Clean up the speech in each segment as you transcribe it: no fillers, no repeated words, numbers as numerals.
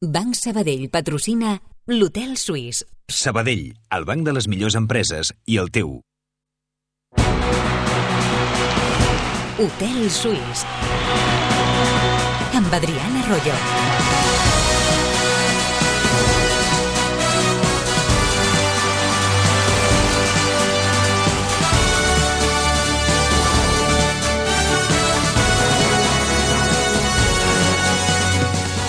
Banc Sabadell patrocina l'Hotel Suís. Sabadell, el banc de les millors empreses i el teu. Hotel Suís. Amb Adriana Arroyo.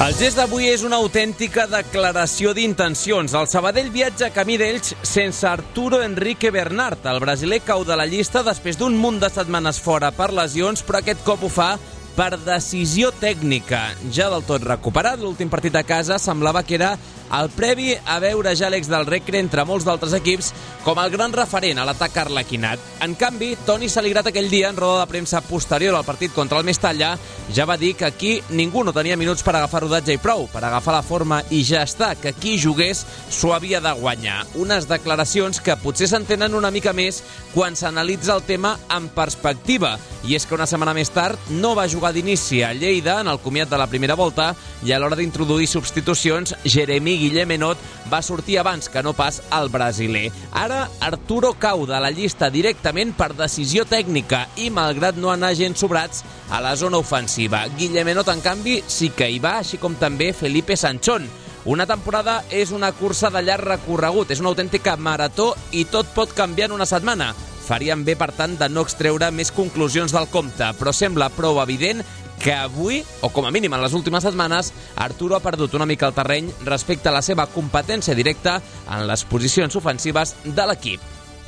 El gest d'avui és una autèntica declaració d'intencions. El Sabadell viatja camí d'Elx sense Arturo Henrique Bernard. El brasiler cau de la llista després d'un munt de setmanes fora per lesions, però aquest cop ho fa per decisió tècnica. Ja del tot recuperat, l'últim partit a casa semblava que era el previ a veure ja l'ex del Recre entre molts d'altres equips com el gran referent a l'atac arlequinat. En canvi, Toni Saligrat aquell dia, en roda de premsa posterior al partit contra el Mestalla, ja va dir que aquí ningú no tenia minuts per agafar rodatge i prou, per agafar la forma i ja està, que qui jugués s'ho havia de guanyar. Unes declaracions que potser s'entenen una mica més quan s'analitza el tema en perspectiva. I és que una setmana més tard no va jugar d'inici a Lleida en el comiat de la primera volta i a l'hora d'introduir substitucions, Jeremy Guillemenot va sortir abans que no pas el brasiler. Ara Arturo cau de la llista directament per decisió tècnica i malgrat no anar gens sobrats a la zona ofensiva. Guillemenot, en canvi, sí que hi va, així com també Felipe Sanchón. Una temporada és una cursa de llarg recorregut, és una autèntica marató i tot pot canviar en una setmana. Farien bé, per tant, de no extreure més conclusions del compte, però sembla prou evident que avui, o com a mínim en les últimes setmanes, Arturo ha perdut una mica el terreny respecte a la seva competència directa en les posicions ofensives de l'equip.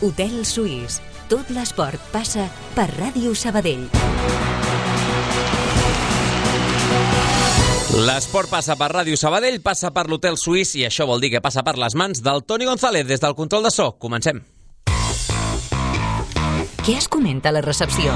Hotel Suís. Tot l'esport passa per Ràdio Sabadell. L'esport passa per Ràdio Sabadell, passa per l'Hotel Suís i això vol dir que passa per les mans del Toni González des del control de so. Comencem. Què es comenta a la recepció?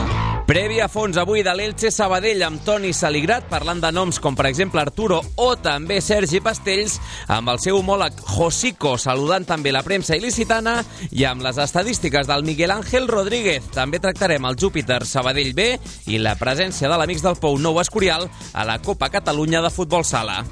Previ a fons avui de l'Elche Sabadell amb Toni Saligrat, parlant de noms com per exemple Arturo o també Sergi Pastells, amb el seu homòleg Josico saludant també la premsa il·licitana i amb les estadístiques del Miguel Ángel Rodríguez. També tractarem el Júpiter Sabadell B i la presència de l'Amics del Pou Nou Escorial a la Copa Catalunya de Futbol Sala.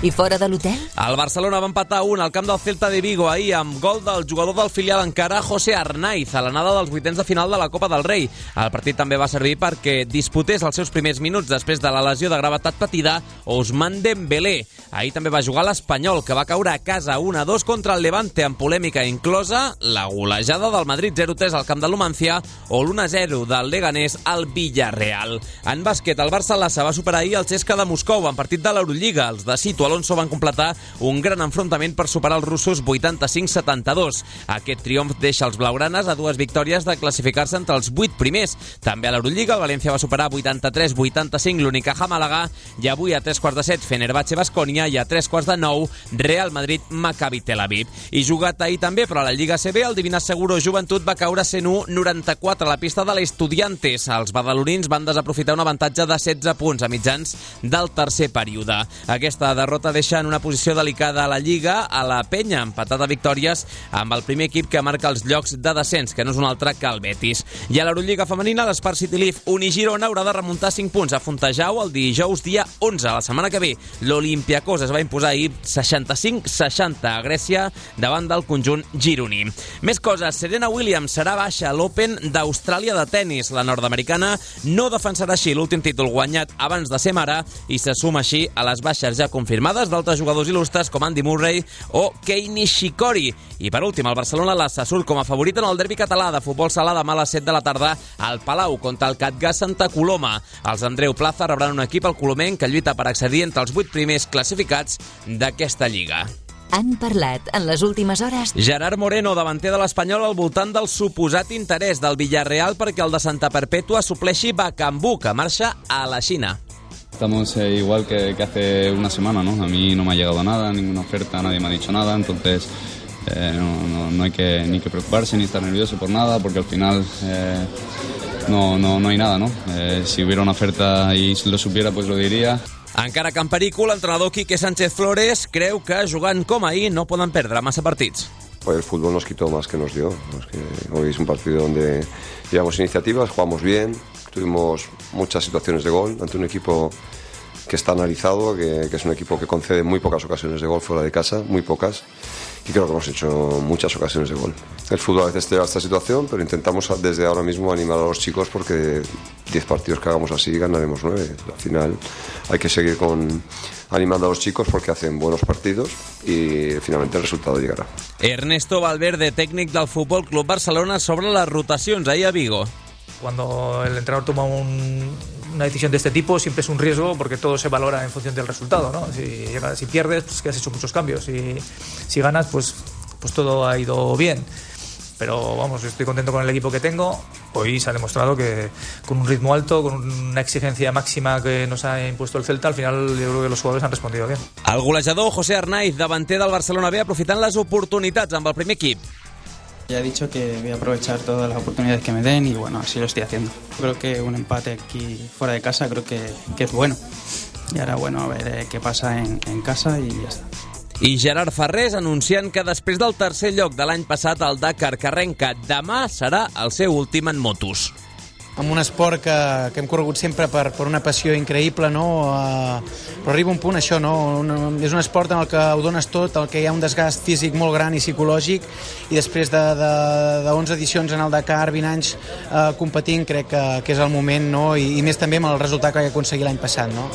I fora de l'hotel? El Barcelona va empatar 1 al camp del Celta de Vigo ahir amb gol del jugador del filial encara José Arnaiz a l'anada dels vuitens de final de la Copa del Rei. El partit també va servir perquè disputés els seus primers minuts després de la lesió de gravetat patida Ousmane Dembélé. Ahir també va jugar l'Espanyol, que va caure a casa 1-2 contra el Levante amb polèmica inclosa la golejada del Madrid 0-3 al camp de l'Numancia o l'1-0 del Leganés al Villarreal. En bàsquet, el Barça-Lassa va superar ahir el CSKA de Moscou en partit de l'Eurolliga. Els de Sito Alonso van completar un gran enfrontament per superar els russos 85-72. Aquest triomf deixa els blaugranes a 2 victòries de classificar-se entre els 8 primers. També a l'Eurolliga, el València va superar 83-85 l'Unicaja Màlaga i avui a 3:15 Fenerbahçe Baskonia i a 3:15 Real Madrid Maccabi Tel Aviv. I jugat ahir també, però a la Lliga CB, el Divina Seguro Joventut va caure 101-94 a la pista de l'Estudiantes. Els badalonins van desaprofitar un avantatge de 16 punts a mitjans del tercer període. Aquesta derrota deixa en una posició delicada a la Lliga a la Penya, empatat a victòries amb el primer equip que marca els llocs de descens, que no és un altre que el Betis. I a l'Eurolliga femenina, l'Espar City Leaf Unigirona haurà de remuntar 5 punts a Fontejau el dijous dia 11. La setmana que ve, l'Olympiakos es va imposar ahir 65-60 a Grècia davant del conjunt gironí. Més coses, Serena Williams serà baixa a l'Open d'Austràlia de tennis. La nord-americana no defensarà així l'últim títol guanyat abans de ser mare i se suma així a les baixes ja confirmades d'altres jugadors il·lustres com Andy Murray o Kei Nishikori. I per últim, el Barcelona Lassa surt com a favorit en el derbi català de futbol sala demà a les 7 de la tarda al Palau contra el Catgà Santa Coloma. Els Andreu Plaza rebran un equip al Colomenc que lluita per accedir entre els 8 primers classificats d'aquesta lliga. Han parlat en les últimes hores Gerard Moreno, davanter de l'Espanyol, al voltant del suposat interès del Villarreal perquè el de Santa Perpètua supleixi Bakambu, que marxa a la Xina. Estamos igual que hace una semana, ¿no? A mí no me ha llegado nada, ninguna oferta, nadie me ha dicho nada, entonces no hay ni que preocuparse ni estar nervioso por nada, porque al final no hay nada, ¿no? Si hubiera una oferta y lo supiera, pues lo diría. Encara que en perico, l'entrenador Quique Sánchez Flores creu que jugant com ahir no poden perdre massa partits. Pues el fútbol nos quitó más que nos dio. Hoy es un partido donde llevamos iniciativas, jugamos bien, tuvimos muchas situaciones de gol ante un equipo que está analizado, que es un equipo que concede muy pocas ocasiones de gol fuera de casa, muy pocas, y creo que hemos hecho muchas ocasiones de gol. El fútbol a veces te lleva a esta situación, pero intentamos desde ahora mismo animar a los chicos, porque 10 partidos que hagamos así ganaremos 9. Al final hay que seguir animando a los chicos porque hacen buenos partidos y finalmente el resultado llegará. Ernesto Valverde, técnic del Fútbol Club Barcelona, sobre las rotacions ahí a Vigo. Cuando el entrenador toma una decisión de este tipo, siempre es un riesgo, porque todo se valora en función del resultado, ¿no? Si pierdes, pues que has hecho muchos cambios, y si ganas, pues todo ha ido bien. Pero vamos, estoy contento con el equipo que tengo. Hoy se ha demostrado que con un ritmo alto, con una exigencia máxima que nos ha impuesto el Celta, al final yo creo que los jugadores han respondido bien. El golejador José Arnaiz, davanter del Barcelona B, aprofitant les oportunitats amb el primer equip. Ya he dicho que voy a aprovechar todas las oportunidades que me den y bueno, así lo estoy haciendo. Creo que un empate aquí fuera de casa creo que es bueno. Y ahora bueno, a ver qué pasa en casa y ya está. I Gerard Ferrés anunciant que després del tercer lloc de l'any passat al Dakar que arrenca demà serà el seu últim en motos. Amb un esport que hem corregut sempre per una passió increïble, no? Però arriba un punt això, no? És un esport en el que ho dones tot, el que hi ha un desgast físic molt gran i psicològic, i després de 11 edicions en el Dakar, 20 anys competint, crec que és el moment, no? I més també amb el resultat que vaig aconseguir l'any passat, no?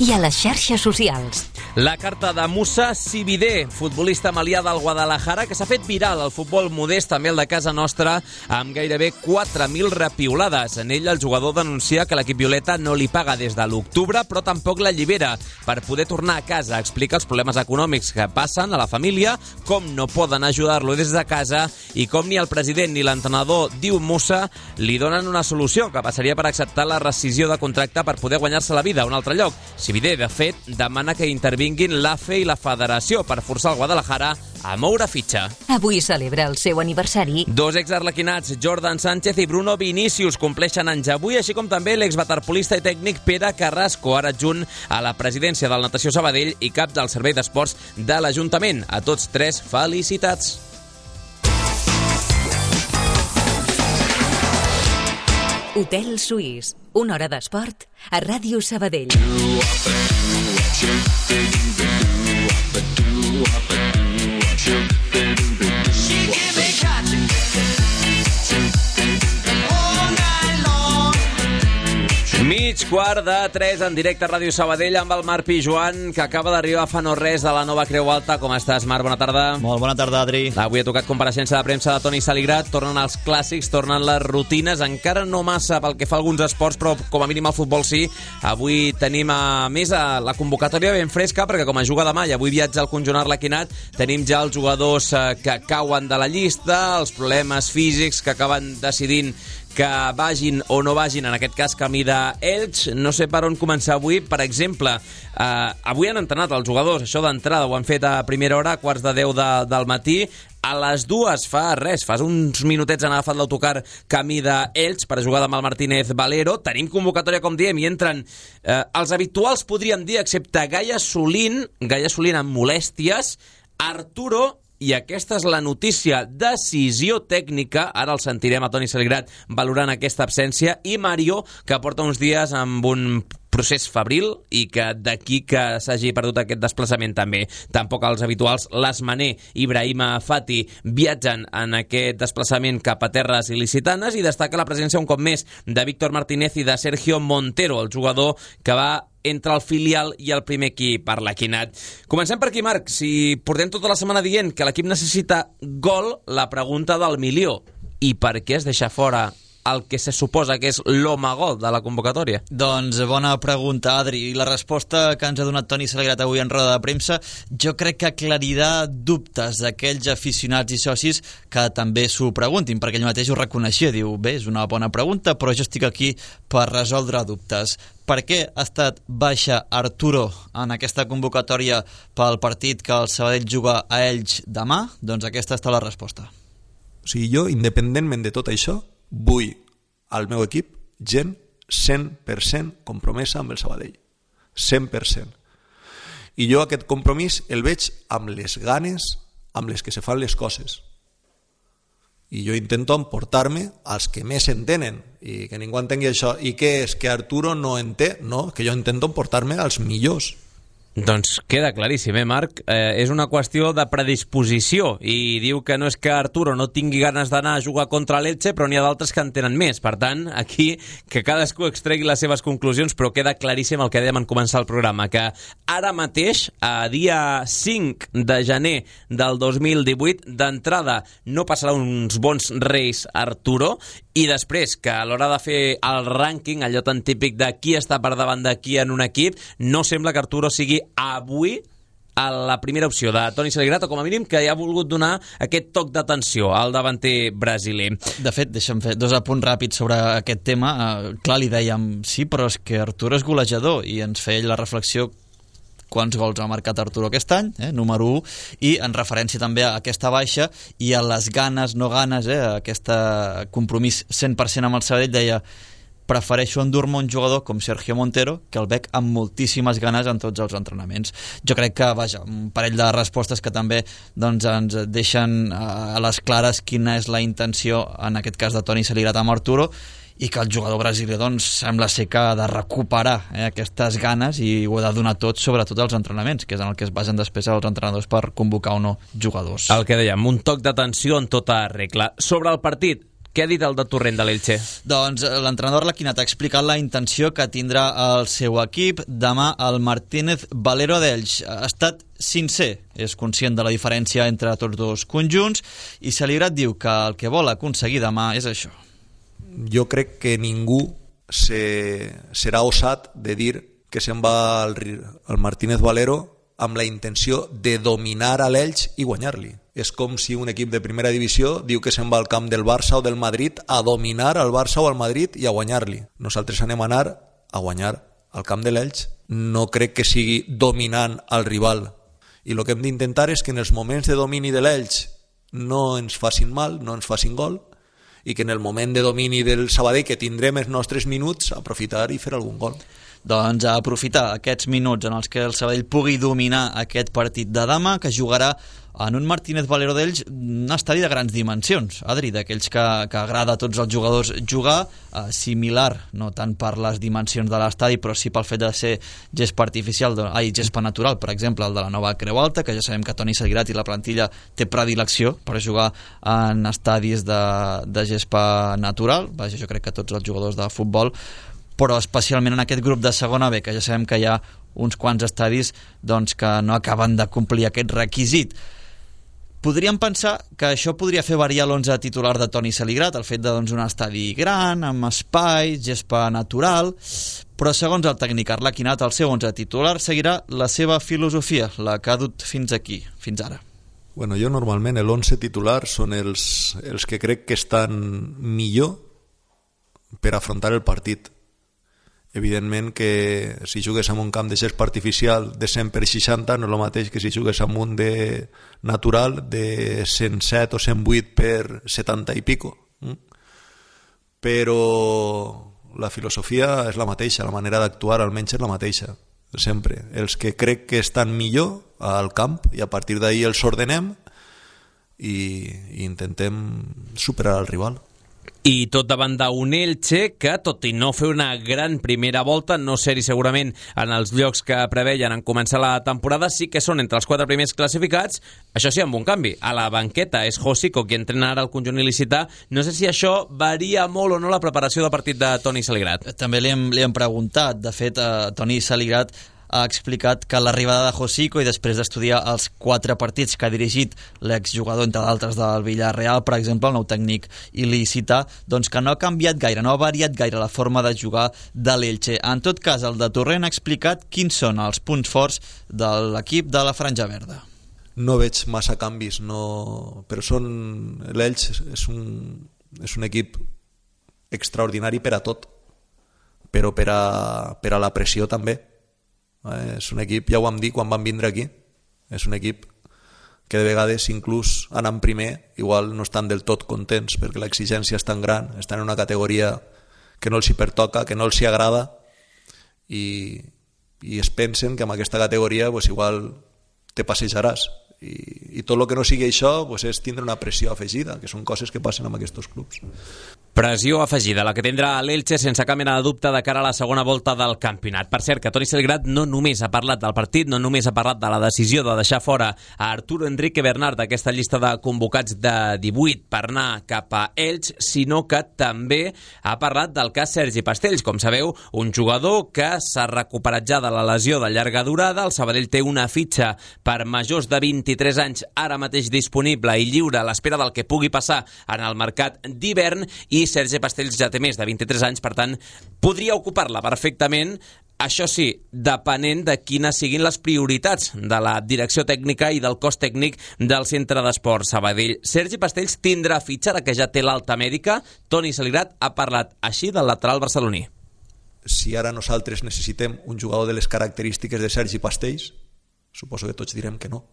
I a les xarxes socials. La carta de Moussa Sibidé, futbolista malià del Guadalajara, que s'ha fet viral al futbol modest, també el de casa nostra, amb gairebé 4.000 repiulades. En ell el jugador denuncia que l'equip violeta no li paga des de l'octubre, però tampoc l'allibera per poder tornar a casa. Explica els problemes econòmics que passen a la família, com no poden ajudar-lo des de casa i com ni el president ni l'entrenador, diu Moussa, li donen una solució, que passaria per acceptar la rescisió de contracte per poder guanyar-se la vida a un altre lloc. Sibidé, de fet, demana que intervinguin l'AFE i la Federació per forçar el Guadalajara a moure fitxa. Avui celebra el seu aniversari. Dos exarlequinats, Jordan Sánchez i Bruno Vinícius, compleixen anys avui, així com també l'exwaterpolista i tècnic Pere Carrasco, ara adjunt a la presidència del Natació Sabadell i cap del Servei d'Esports de l'Ajuntament. A tots tres, felicitats. Hotel Suís, una hora d'esport a Ràdio Sabadell. Mig quart de 3 en directe a Ràdio Sabadell amb el Marc Pijuan, que acaba d'arribar fa no res de la nova Creu Alta. Com estàs, Marc? Bona tarda. Molt bona tarda, Adri. Avui ha tocat compareixença de premsa de Toni Saligrat. Tornen els clàssics, tornen les rutines, encara no massa pel que fa a alguns esports, però com a mínim al futbol sí. Avui tenim a més la convocatòria ben fresca, perquè com a juga demà i avui viatja al conjunt arlequinat, tenim ja els jugadors que cauen de la llista, els problemes físics que acaben decidint que vagin o no vagin, en aquest cas camí d'Elx. No sé per on començar avui. Per exemple, avui han entrenat els jugadors, això d'entrada ho han fet a primera hora, a quarts de 10 del matí. A les 2 fa uns minutets han agafat l'autocar camí d'Elx per jugar demà al Martínez Valero. Tenim convocatòria, com diem, i entren els habituals, podríem dir, excepte Gaia Solín amb molèsties, Arturo, i aquesta és la notícia, decisió tècnica, ara el sentirem a Toni Saligrat valorant aquesta absència, i Mario, que porta uns dies amb un procés febril i que d'aquí que s'hagi perdut aquest desplaçament també. Tampoc els habituals, l'Asmaner i Brahima Fati, viatgen en aquest desplaçament cap a terres il·licitanes, i destaca la presència un cop més de Víctor Martínez i de Sergio Montero, el jugador que va entre el filial i el primer equip arlequinat. Comencem per aquí, Marc. Si portem tota la setmana dient que l'equip necessita gol, la pregunta del milió: i per què es deixa fora el que se suposa que és l'home gol de la convocatòria? Doncs bona pregunta, Adri. I la resposta que ens ha donat Toni Saligrat avui en roda de premsa jo crec que aclarirà dubtes d'aquells aficionats i socis que també s'ho preguntin, perquè ell mateix ho reconeixia. Diu, bé, és una bona pregunta, però jo estic aquí per resoldre dubtes. Per què ha estat baixa Arturo en aquesta convocatòria pel partit que el Sabadell juga a Elx demà? Doncs aquesta està la resposta. O sigui, jo, independentment de tot això, vull al meu equip gent 100% compromesa amb el Sabadell. 100%. I jo aquest compromís el veig amb les ganes amb les que se fan les coses. i jo intento emportar-me als que més entenen i que ningú entengui això. I què és? Que Arturo no en té? No, que jo intento emportar-me als millors. Doncs queda claríssim, Marc? És una qüestió de predisposició i diu que no és que Arturo no tingui ganes d'anar a jugar contra l'Elche, però n'hi ha d'altres que en tenen més. Per tant, aquí que cadascú extregui les seves conclusions, però queda claríssim el que dèiem en començar el programa, que ara mateix, a dia 5 de gener del 2018, d'entrada no passarà uns bons reis Arturo, i després que a l'hora de fer el rànquing, allò tan típic de qui està per davant de qui en un equip, no sembla que Arturo sigui avui a la primera opció de Toni Saligrat, o com a mínim que ha volgut donar aquest toc d'atenció al davanter brasiler. De fet, deixa'm fer 2 apunts ràpids sobre aquest tema. Clar, li dèiem, sí, però és que Arturo és golejador, i ens feia la reflexió quants gols ha marcat Arturo aquest any, número 1, i en referència també a aquesta baixa i a les ganes, no ganes, aquest compromís 100% amb el Sabadell, deia: prefereixo endur-me un jugador com Sergio Montero, que el veig amb moltíssimes ganes en tots els entrenaments. Jo crec que, vaja, un parell de respostes que també doncs, ens deixen a les clares quina és la intenció, en aquest cas de Toni Saligrat amb Arturo, i que el jugador brasiler doncs, sembla ser que ha de recuperar aquestes ganes i ho ha de donar tot, sobretot als entrenaments, que és en el que es basen després els entrenadors per convocar o no jugadors. El que dèiem, un toc d'atenció en tota regla. Sobre el partit, què ha dit el de Torrent de l'Elche? Doncs l'entrenador Laquinat ha explicat la intenció que tindrà el seu equip demà al Martínez Valero d'Elx. Ha estat sincer, és conscient de la diferència entre tots dos conjunts, i Saligrat diu que el que vol aconseguir demà és això. Jo crec que ningú serà osat de dir que se'n va al Martínez Valero amb la intenció de dominar a l'Elx i guanyar-li. És com si un equip de primera divisió diu que se'n va al camp del Barça o del Madrid a dominar al Barça o al Madrid i a guanyar-li. Nosaltres anem a anar a guanyar al camp de l'Elx. No crec que sigui dominant al rival. I el que hem d'intentar és que en els moments de domini de l'Elx no ens facin mal, no ens facin gol, i que en el moment de domini del Sabadell, que tindrem els nostres minuts, aprofitar i fer algun gol. Doncs a aprofitar aquests minuts en els que el Sabadell pugui dominar aquest partit de demà, que jugarà en un Martínez Valero d'Elx, un estadi de grans dimensions, Adri, d'aquells que agrada a tots els jugadors jugar, similar, no tant per les dimensions de l'estadi, però sí pel fet de ser gespa artificial, gespa natural, per exemple, el de la nova Creu Alta, que ja sabem que Toni Saligrat i la plantilla té predilecció per jugar en estadis de gespa natural. Vaja, jo crec que tots els jugadors de futbol, però especialment en aquest grup de segona B, que ja sabem que hi ha uns quants estadis doncs, que no acaben de complir aquest requisit. Podríem pensar que això podria fer variar l'11 titular de Toni Saligrat, el fet de un estadi gran, amb espai, gespa natural, però segons el tècnic Arlaquinat, el seu 11 titular seguirà la seva filosofia, la que ha dut fins aquí, fins ara. Bueno, jo normalment l'11 titular són els que crec que estan millor per afrontar el partit. Evidentment que si jugues en un camp de gespa artificial de 100 per 60 no és el mateix que si jugues en un de natural de 107 o 108 per 70 i pico. Però la filosofia és la mateixa, la manera d'actuar almenys és la mateixa, sempre. Els que crec que estan millor al camp i a partir d'ahir els ordenem i intentem superar el rival. I tot davant d'un Elche que, tot i no fer una gran primera volta, no ser-hi segurament en els llocs que preveien en començar la temporada, sí que són entre els 4 primers classificats, això sí, amb un canvi. A la banqueta és Josico qui entrena ara el conjunt il·licità. No sé si això varia molt o no la preparació de partit de Toni Saligrat. També li hem preguntat. De fet, Toni Saligrat ha explicat que l'arribada de Josico i després d'estudiar els 4 partits que ha dirigit l'exjugador, entre d'altres, del Villarreal, per exemple, el nou tècnic il·licità, doncs que no ha canviat gaire, no ha variat gaire la forma de jugar de l'Elche. En tot cas, el de Torrent ha explicat quins són els punts forts de l'equip de la Franja Verda. No veig massa canvis, però l'Elche és un equip extraordinari per a tot, però per a la pressió també. És un equip, ja ho vam dir quan vam vindre aquí, és un equip que de vegades inclús anant primer igual no estan del tot contents perquè l'exigència és tan gran, estan en una categoria que no els hi pertoca, que no els hi agrada i es pensen que amb aquesta categoria igual te passejaràs i tot el que no sigui això pues, és tindre una pressió afegida, que són coses que passen amb aquests clubs. Pressió afegida, la que tindrà l'Elche sense cap mena de dubte de cara a la segona volta del campionat. Per cert, que Toni Salgrat no només ha parlat del partit, no només ha parlat de la decisió de deixar fora a Arturo Enrique Bernard d'aquesta llista de convocats de 18 per anar cap a Elx, sinó que també ha parlat del cas Sergi Pastells. Com sabeu, un jugador que s'ha recuperat ja de la lesió de llarga durada. El Sabadell té una fitxa per majors de 23 anys ara mateix disponible i lliure a l'espera del que pugui passar en el mercat d'hivern, i Sergi Pastells ja té més de 23 anys, per tant, podria ocupar-la perfectament, això sí, depenent de quines siguin les prioritats de la direcció tècnica i del cos tècnic del Centre d'Esports Sabadell. Sergi Pastells tindrà fitxa, ara que ja té l'alta mèdica. Toni Salgrat ha parlat així del lateral barceloní. Si ara nosaltres necessitem un jugador de les característiques de Sergi Pastells, suposo que tots direm que no.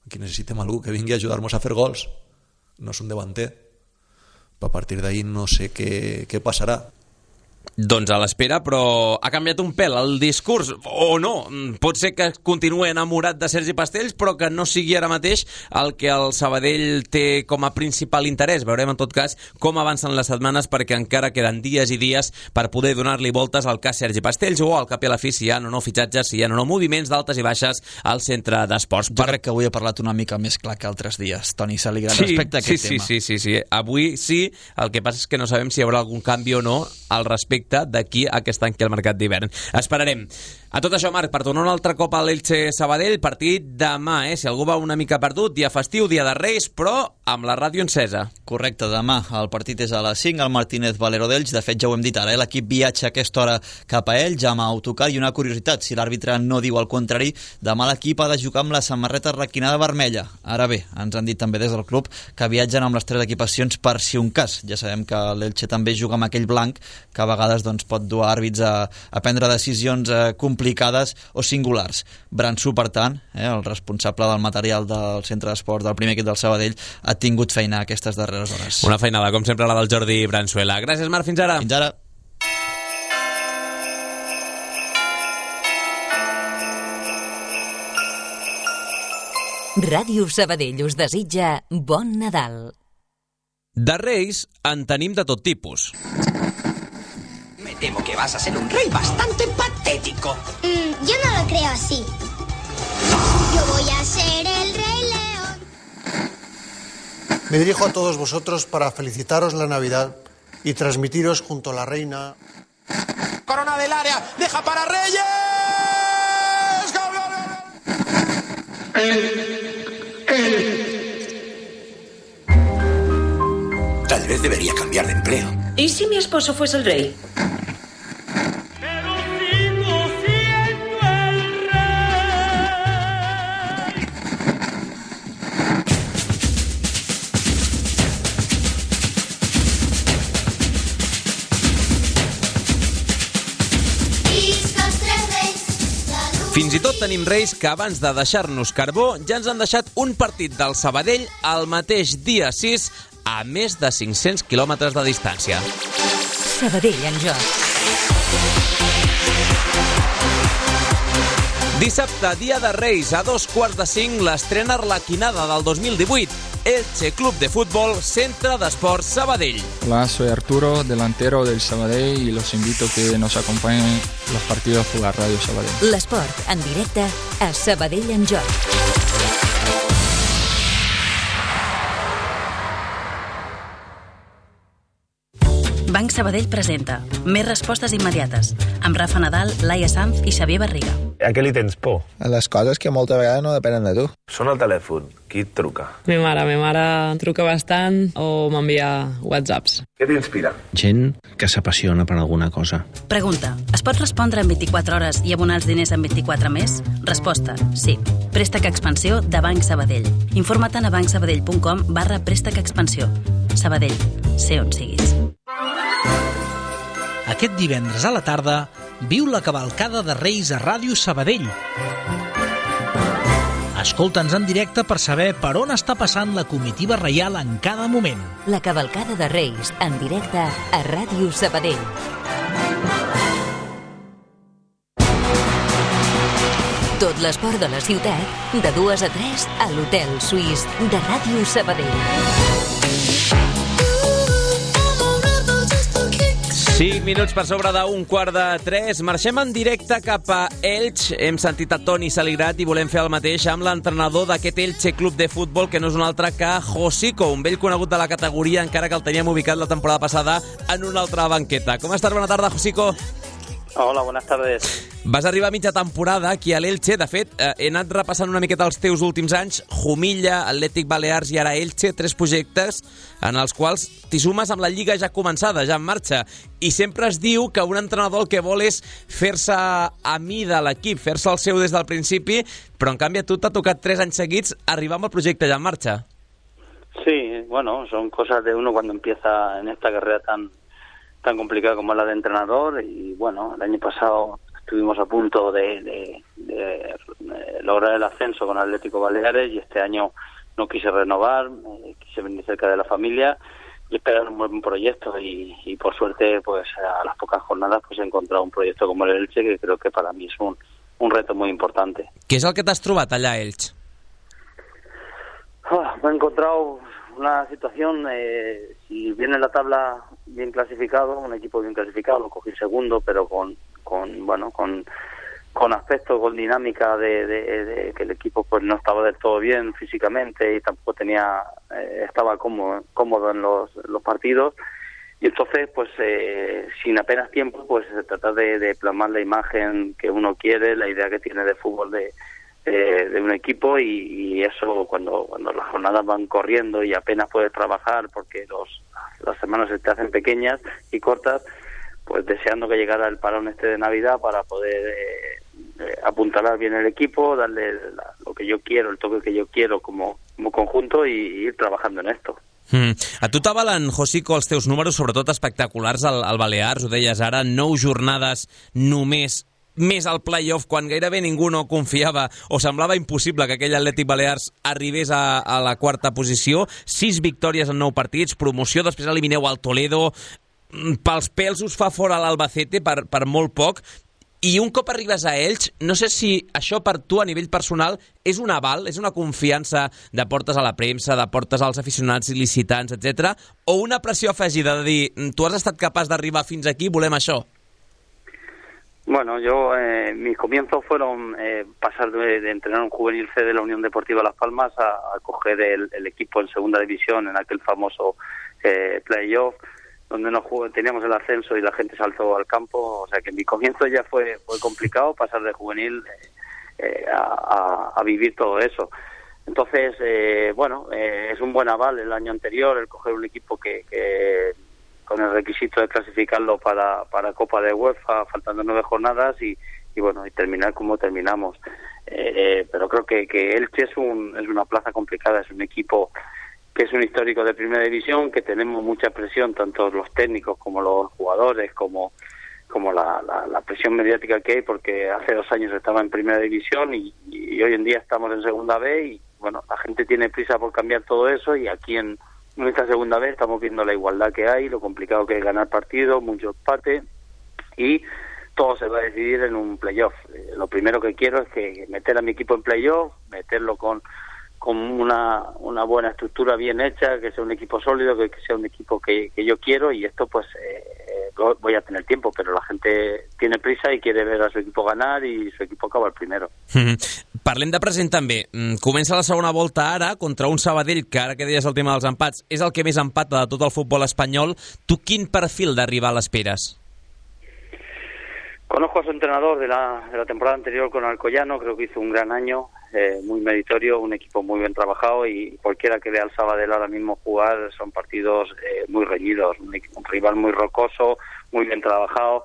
Aquí necessitem algú que vingui a ajudar-nos a fer gols. No és un davanter. A partir d'ahí no sé què passarà. Doncs a l'espera, però ha canviat un pèl el discurs, o no. Pot ser que continuï enamorat de Sergi Pastells, però que no sigui ara mateix el que el Sabadell té com a principal interès. Veurem en tot cas com avancen les setmanes, perquè encara queden dies i dies per poder donar-li voltes al cas Sergi Pastells, o al cap i a la fi si hi ha o no fitxatges, si hi ha o no moviments d'altes i baixes al Centre d'Esports. Jo crec que avui ha parlat una mica més clar que altres dies, Toni Salgrat, respecte a aquest tema. Sí. Avui sí, el que passa és que no sabem si hi haurà algun canvi o no al respecte d'aquí a que es tanqui el mercat d'hivern. Esperarem. A tot això, Marc, per tornar un altre cop a l'Elche Sabadell, partit demà, si algú va una mica perdut, dia festiu, dia de Reis, però amb la ràdio encesa. Correcte, demà el partit és a les 5 al Martínez Valero d'Elx. De fet, ja ho hem dit ara, l'equip viatja a aquesta hora cap a Elx amb autocar, i una curiositat, si l'àrbitre no diu el contrari, demà l'equip ha de jugar amb la samarreta requinada vermella. Ara bé, ens han dit també des del club que viatgen amb les 3 equipacions per si un cas. Ja sabem que l'Elche també juga amb aquell blanc que a vegades pot dur àrbits a prendre decisions complicades o singulars. Bransú, per tant, el responsable del material del Centre d'Esports del primer equip del Sabadell, ha tingut feina aquestes darreres hores. Una feinada, com sempre, la del Jordi Bransuela. Gràcies, Marc, fins ara. Fins ara. Ràdio Sabadell us desitja bon Nadal. De Reis en tenim de tot tipus. Me temo que vas a ser un rey bastante patético. Yo no lo creo así. Yo voy a ser el Rey León. Me dirijo a todos vosotros para felicitaros la Navidad y transmitiros junto a la reina. Corona del área, deja para Reyes. Tal vez debería cambiar de empleo. ¿Y si mi esposo fuese el rey? Fins i tot tenim reis que abans de deixar-nos carbó ja ens han deixat un partit del Sabadell el mateix dia 6 a més de 500 quilòmetres de distància. Sabadell en joc. Dissabte, dia de Reis, a 4:45, l'estrena arlequinada del 2018. Elche Club de Fútbol, Centre d'Esports Sabadell. Hola, soy Arturo, delantero del Sabadell, y los invito a que nos acompañen los partidos por la Radio Sabadell. L'esport en directe a Sabadell en joc. Banc Sabadell presenta Més respostes immediates amb Rafa Nadal, Laia Sanz i Xavier Barriga. A què li tens por? A les coses que moltes vegades no depenen de tu. Sona el telèfon. Qui et truca? Mi mare truca bastant o m'envia whatsapps. Què t'inspira? Gent que s'apassiona per alguna cosa. Pregunta, es pot respondre en 24 hores i abonar els diners en 24 més? Resposta, sí. Préstec Expansió de Banc Sabadell. Informa't a bancsabadell.com/préstec expansió. Sabadell, sé on siguis. Aquest divendres a la tarda viu la cavalcada de Reis a Ràdio Sabadell. Escolta'ns en directe per saber per on està passant la comitiva reial en cada moment. La cavalcada de Reis en directe a Ràdio Sabadell. Tot l'esport de la ciutat, de 2 a 3 a l'Hotel Suís de Ràdio Sabadell. 5 minuts per sobre d'un 2:45. Marxem en directe cap a Elx. Hem sentit a Toni Saligrat i volem fer el mateix amb l'entrenador d'aquest Elche Club de Futbol, que no és un altre que Josico, un vell conegut de la categoria, encara que el teníem ubicat la temporada passada en una altra banqueta. Com estàs? Bona tarda, Josico. Hola, buenas tardes. Vas arribar a mitja temporada aquí a l'Elche. De fet, he anat repassant una miqueta els teus últims anys. Jumilla, Atlètic Balears i ara Elche, 3 projectes en els quals t'hi sumes amb la Lliga ja començada, ja en marxa. I sempre es diu que un entrenador el que vol és fer-se a mida l'equip, fer-se el seu des del principi, però en canvi a tu t'ha tocat 3 anys seguits arribar amb el projecte ja en marxa. Sí, bueno, son cosas de uno cuando empieza en esta carrera tan complicada como la de entrenador. Y bueno, el año pasado estuvimos a punto de lograr el ascenso con Atlético Baleares, y este año no quise renovar, quise venir cerca de la familia y esperar un buen proyecto, y por suerte pues a las pocas jornadas pues he encontrado un proyecto como el Elche, que creo que para mí es un reto muy importante. Què és el que t'has trobat allà a Elx? Me he encontrado una situación, si viene en la tabla bien clasificado, un equipo bien clasificado, lo cogí segundo, pero con aspectos, con dinámica de que el equipo pues no estaba del todo bien físicamente y tampoco estaba cómodo en los partidos, y entonces pues sin apenas tiempo pues se trata de plasmar la imagen que uno quiere, la idea que tiene de fútbol de un equipo, y eso cuando las jornadas van corriendo y apenas puedes trabajar porque las semanas se te hacen pequeñas y cortas, pues deseando que llegara el parón de Navidad para poder apuntalar bien el equipo, darle lo que yo quiero, el toque que yo quiero como conjunto, y ir trabajando en esto. A tu t'avalen, Josico, els teus números, sobretot espectaculars al Balears, ho deies ara, 9 jornades només, més al play-off, quan gairebé ningú no confiava o semblava impossible que aquell Atlètic Balears arribés a la 4ª posició, 6 victòries en 9 partits, promoció, després elimineu al Toledo, pels pèls us fa fora l'Albacete per molt poc, i un cop arribes a Elx, no sé si això per tu a nivell personal és un aval, és una confiança de portes a la premsa, de portes als aficionats il·licitants, etc., o una pressió afegida de dir, tu has estat capaç d'arribar fins aquí, volem això? Bueno, mis comienzos fueron pasar de entrenar un juvenil C de la Unión Deportiva Las Palmas a coger el equipo en segunda división en aquel famoso playoff, donde teníamos el ascenso y la gente saltó al campo. O sea que mi comienzo ya fue complicado, pasar de juvenil a vivir todo eso. Entonces, es un buen aval el año anterior el coger un equipo que con el requisito de clasificarlo para Copa de UEFA, faltando 9 jornadas, y terminar como terminamos. Pero creo que Elche es una plaza complicada, es un equipo que es un histórico de primera división, que tenemos mucha presión, tanto los técnicos como los jugadores, como la presión mediática que hay, porque hace 2 años estaba en primera división y hoy en día estamos en segunda B, y bueno, la gente tiene prisa por cambiar todo eso, y aquí en esta segunda vez estamos viendo la igualdad que hay, lo complicado que es ganar partidos, mucho empate, y todo se va a decidir en un playoff. Lo primero que quiero es que meter a mi equipo en playoff, meterlo con una buena estructura bien hecha, que sea un equipo sólido, que sea un equipo que yo quiero, y esto pues voy a tener tiempo, pero la gente tiene prisa y quiere ver a su equipo ganar, y su equipo acaba el primero. Parlem de present també. Comença la segona volta ara contra un Sabadell que, ara que deies el tema dels empats, és el que més empata de tot el futbol espanyol. Tu quin perfil de rival esperes? Conozco a su entrenador de la temporada anterior con Alcoyano, creo que hizo un gran año, muy meritorio, un equipo muy bien trabajado, y cualquiera que vea al Sabadell ahora mismo jugar son partidos muy reñidos, un rival muy rocoso, muy bien trabajado,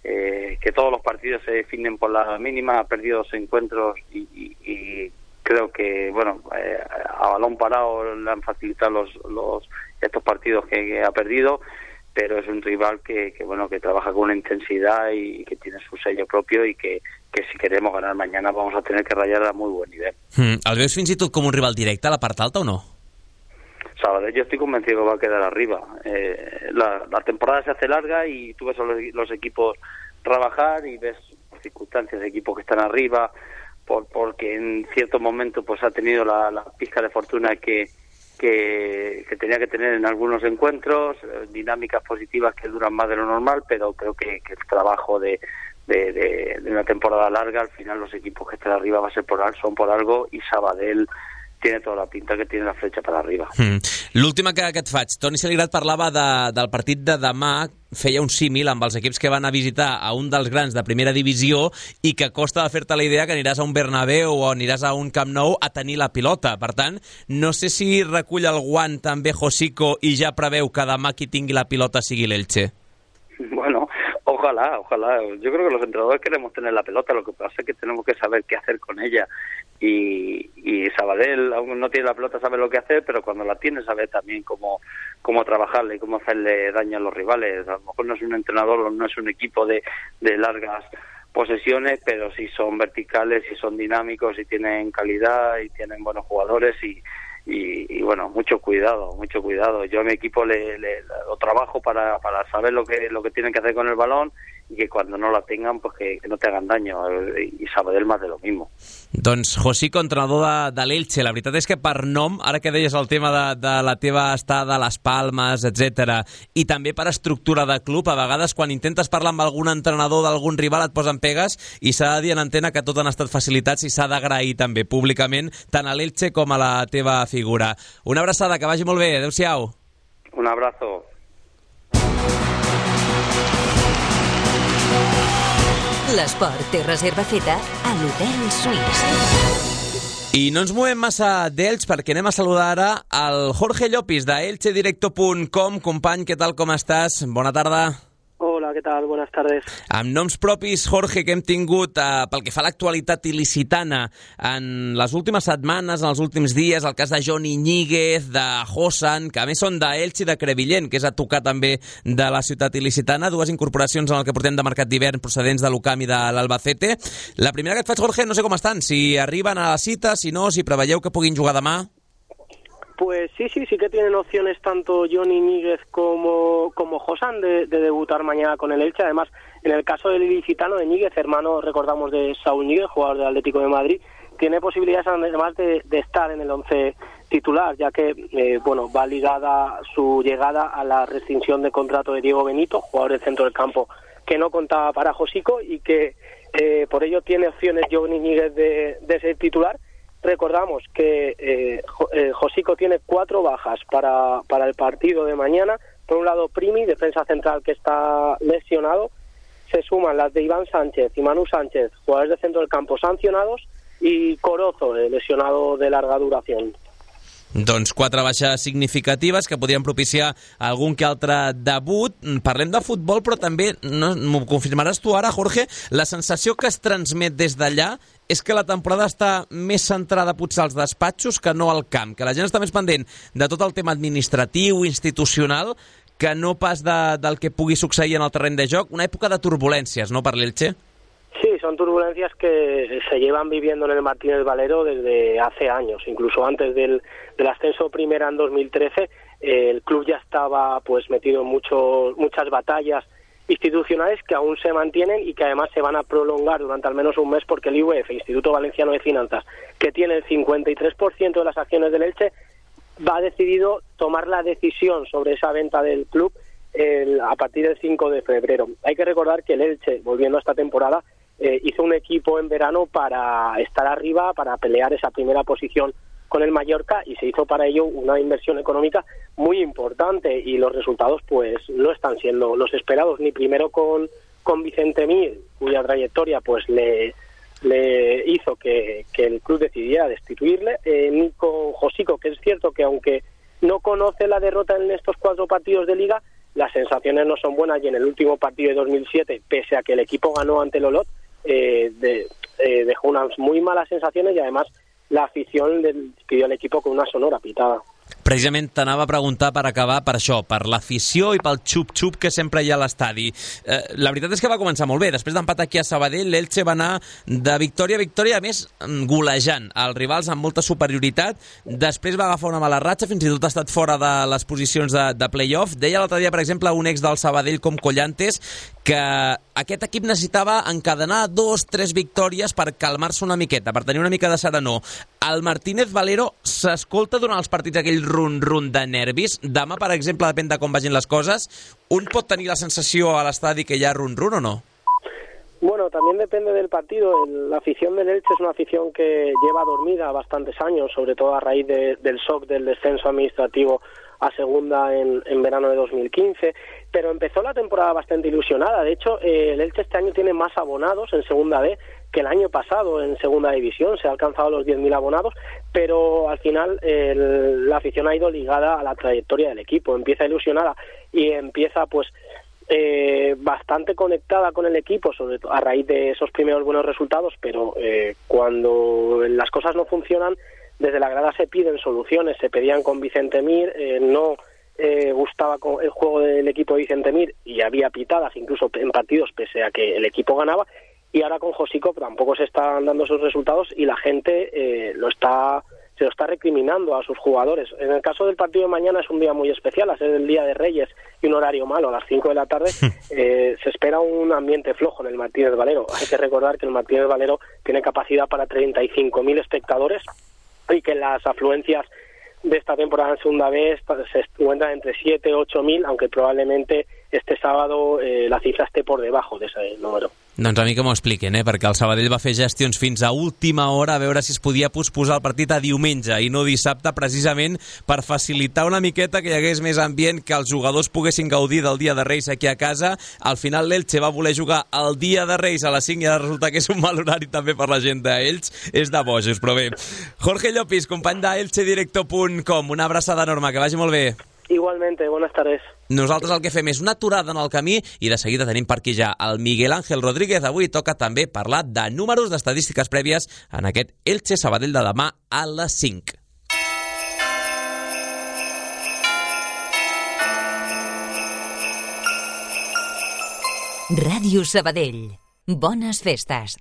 que todos los partidos se definen por la mínima, ha perdido 2 encuentros y creo que a balón parado le han facilitado estos partidos que ha perdido, pero es un rival que trabaja con una intensidad y que tiene su sello propio, y que si queremos ganar mañana vamos a tener que rayar a muy buen nivel. El veus fins i tot com un rival directe a la part alta o no? Sabadell, yo estoy convencido que va a quedar arriba. La temporada se hace larga y tú ves a los equipos trabajar y ves circunstancias de equipos que están arriba, porque en cierto momento pues ha tenido la pizca de fortuna que tenía que tener en algunos encuentros, dinámicas positivas que duran más de lo normal, pero creo que el trabajo de una temporada larga, al final los equipos que estén arriba son por algo, i Sabadell tiene tota la pinta que tiene la fletxa per arriba. L'última que et faig. Toni Saligrat parlava del partit de demà, feia un símil amb els equips que van a visitar a un dels grans de primera divisió i que costa de fer-te la idea que aniràs a un Bernabéu o aniràs a un Camp Nou a tenir la pilota. Per tant, no sé si recull el guant també Josico i ja preveu que demà qui tingui la pilota sigui l'Elche. Bueno, ojalá. Yo creo que los entrenadores queremos tener la pelota, lo que pasa es que tenemos que saber qué hacer con ella. Y Sabadell aún no tiene la pelota, sabe lo que hacer, pero cuando la tiene sabe también cómo trabajarle y cómo hacerle daño a los rivales. A lo mejor no es un entrenador, no es un equipo de largas posesiones, pero sí son verticales, sí son dinámicos, y tienen calidad y tienen buenos jugadores y bueno, mucho cuidado. Yo a mi equipo lo trabajo para saber lo que tienen que hacer con el balón y que cuando no la tengan, pues que no te hagan daño, i Sabadell más de lo mismo. Doncs Josico, entrenador de l'Elche, la veritat és que per nom, ara que deies el tema de la teva estada a les Palmes, etc, i també per estructura de club, a vegades quan intentes parlar amb algun entrenador d'algun rival et posen pegues, i s'ha de dir en antena que tot han estat facilitats i s'ha d'agrair també públicament tant a l'Elche com a la teva figura. Una abraçada, que vagi molt bé, adeu-siau. Un abrazo. L'esport té reserva feta a l'Hotel Suís. I no ens movem massa d'Elx perquè anem a saludar ara el Jorge Llopis de elchedirecto.com. Company, què tal, com estàs? Bona tarda. Hola, ¿qué tal? Buenas tardes. Amb noms propis, Jorge, que hem tingut pel que fa a l'actualitat il·licitana en les últimes setmanes, en els últims dies, el cas de Johnny Ñíguez, de Hosan, que a més són d'Elx i de Crevillent, que és a tocar també de la ciutat il·licitana, dues incorporacions en el que portem de mercat d'hivern procedents de l'UCAM i de l'Albacete. La primera que et faig, Jorge, no sé com estan, si arriben a la cita, si no, si preveieu que puguin jugar demà. Pues sí que tienen opciones tanto Johnny Ñíguez como Hosan de debutar mañana con el Elche. Además, en el caso del ilicitano de Ñíguez, hermano, recordamos, de Saúl Ñíguez, jugador del Atlético de Madrid, tiene posibilidades además de estar en el 11 titular, ya que va ligada su llegada a la rescisión de contrato de Diego Benito, jugador del centro del campo que no contaba para Josico, y que por ello tiene opciones Johnny Ñíguez de ser titular. Recordamos que Josico tiene 4 bajas para el partido de mañana. Por un lado, Primi, defensa central, que está lesionado. Se suman las de Iván Sánchez y Manu Sánchez, jugadores de centro del campo sancionados, y Corozo, lesionado de larga duración. Doncs 4 baixes significatives que podrien propiciar algun que altre debut. Parlem de futbol, però també, m'ho confirmaràs tu ara, Jorge, la sensació que es transmet des d'allà és que la temporada està més centrada potser als despatxos que no al camp, que la gent està més pendent de tot el tema administratiu, institucional, que no pas del que pugui succeir en el terreny de joc. Una època de turbulències, no, per l'Elche? Sí, son turbulencias que se llevan viviendo en el Martínez Valero desde hace años, incluso antes del ascenso primera en 2013. El club ya estaba pues metido en muchas batallas institucionales que aún se mantienen y que además se van a prolongar durante al menos un mes, porque el IVF, Instituto Valenciano de Finanzas, que tiene el 53% de las acciones del Elche, ha decidido tomar la decisión sobre esa venta del club a partir del 5 de febrero. Hay que recordar que el Elche, volviendo a esta temporada, hizo un equipo en verano para estar arriba, para pelear esa primera posición con el Mallorca, y se hizo para ello una inversión económica muy importante, y los resultados pues no están siendo los esperados, ni primero con Vicente Mir, cuya trayectoria pues le hizo que el club decidiera destituirle, ni con Josico, que es cierto que aunque no conoce la derrota en estos 4 partidos de Liga, las sensaciones no son buenas, y en el último partido de 2007, pese a que el equipo ganó ante el Olot, dejó unas muy malas sensaciones, y además la afición despidió al equipo con una sonora pitada. Precisament t'anava a preguntar per acabar per això, per l'afició i pel xup-xup que sempre hi ha a l'estadi. La veritat és que va començar molt bé. Després d'empat aquí a Sabadell, l'Elche va anar de victòria a victòria, a més golejant els rivals amb molta superioritat. Després va agafar una mala ratxa, fins i tot ha estat fora de les posicions de play-off. Deia l'altre dia, per exemple, un ex del Sabadell com Collantes que aquest equip necessitava encadenar 2-3 victòries per calmar-se una miqueta, per tenir una mica de serenor. El Martínez Valero s'escolta durant els partits aquell run-run de nervis. Demà, per exemple, depèn de com vagin les coses, un pot tenir la sensació a l'estadi que hi ha run-run o no? Bueno, también depende del partido. La afición del Elche es una afición que lleva dormida bastantes años, sobre todo a raíz del shock del descenso administrativo a segunda en verano de 2015, pero empezó la temporada bastante ilusionada. De hecho, el Elche este año tiene más abonados en segunda B que el año pasado en segunda división. Se ha alcanzado los 10.000 abonados, pero al final la afición ha ido ligada a la trayectoria del equipo. Empieza ilusionada y empieza pues bastante conectada con el equipo, sobre todo a raíz de esos primeros buenos resultados, pero cuando las cosas no funcionan, desde la grada se piden soluciones. Se pedían con Vicente Mir, no gustaba el juego del equipo de Vicente Mir y había pitadas incluso en partidos pese a que el equipo ganaba, y ahora con Josico tampoco se están dando esos resultados y la gente se lo está recriminando a sus jugadores. En el caso del partido de mañana es un día muy especial, a ser el Día de Reyes y un horario malo, a las 5 de la tarde, se espera un ambiente flojo en el Martínez Valero. Hay que recordar que el Martínez Valero tiene capacidad para 35.000 espectadores y que las afluencias de esta temporada en segunda B se encuentran entre 7 y 8.000, aunque probablemente este sábado la cifra esté por debajo de ese número. Doncs a mi que m'ho expliquen, perquè el Sabadell va fer gestions fins a última hora a veure si es podia posposar el partit a diumenge i no dissabte, precisament per facilitar una miqueta que hi hagués més ambient, que els jugadors poguessin gaudir del Dia de Reis aquí a casa. Al final l'Elche va voler jugar el Dia de Reis a les 5 i ara resulta que és un mal horari també per la gent d'Elx. És de bojos, però bé. Jorge Llopis, company d'elchedirecto.com, una abraçada enorme, que vagi molt bé. Igualmente, buenas tardes. Nosaltres el que fem és una aturada en el camí i de seguida tenim per aquí ja el Miguel Ángel Rodríguez. Avui toca també parlar de números, d'estadístiques prèvies en aquest Elche Sabadell de demà a les 5. Ràdio Sabadell. Bones festes.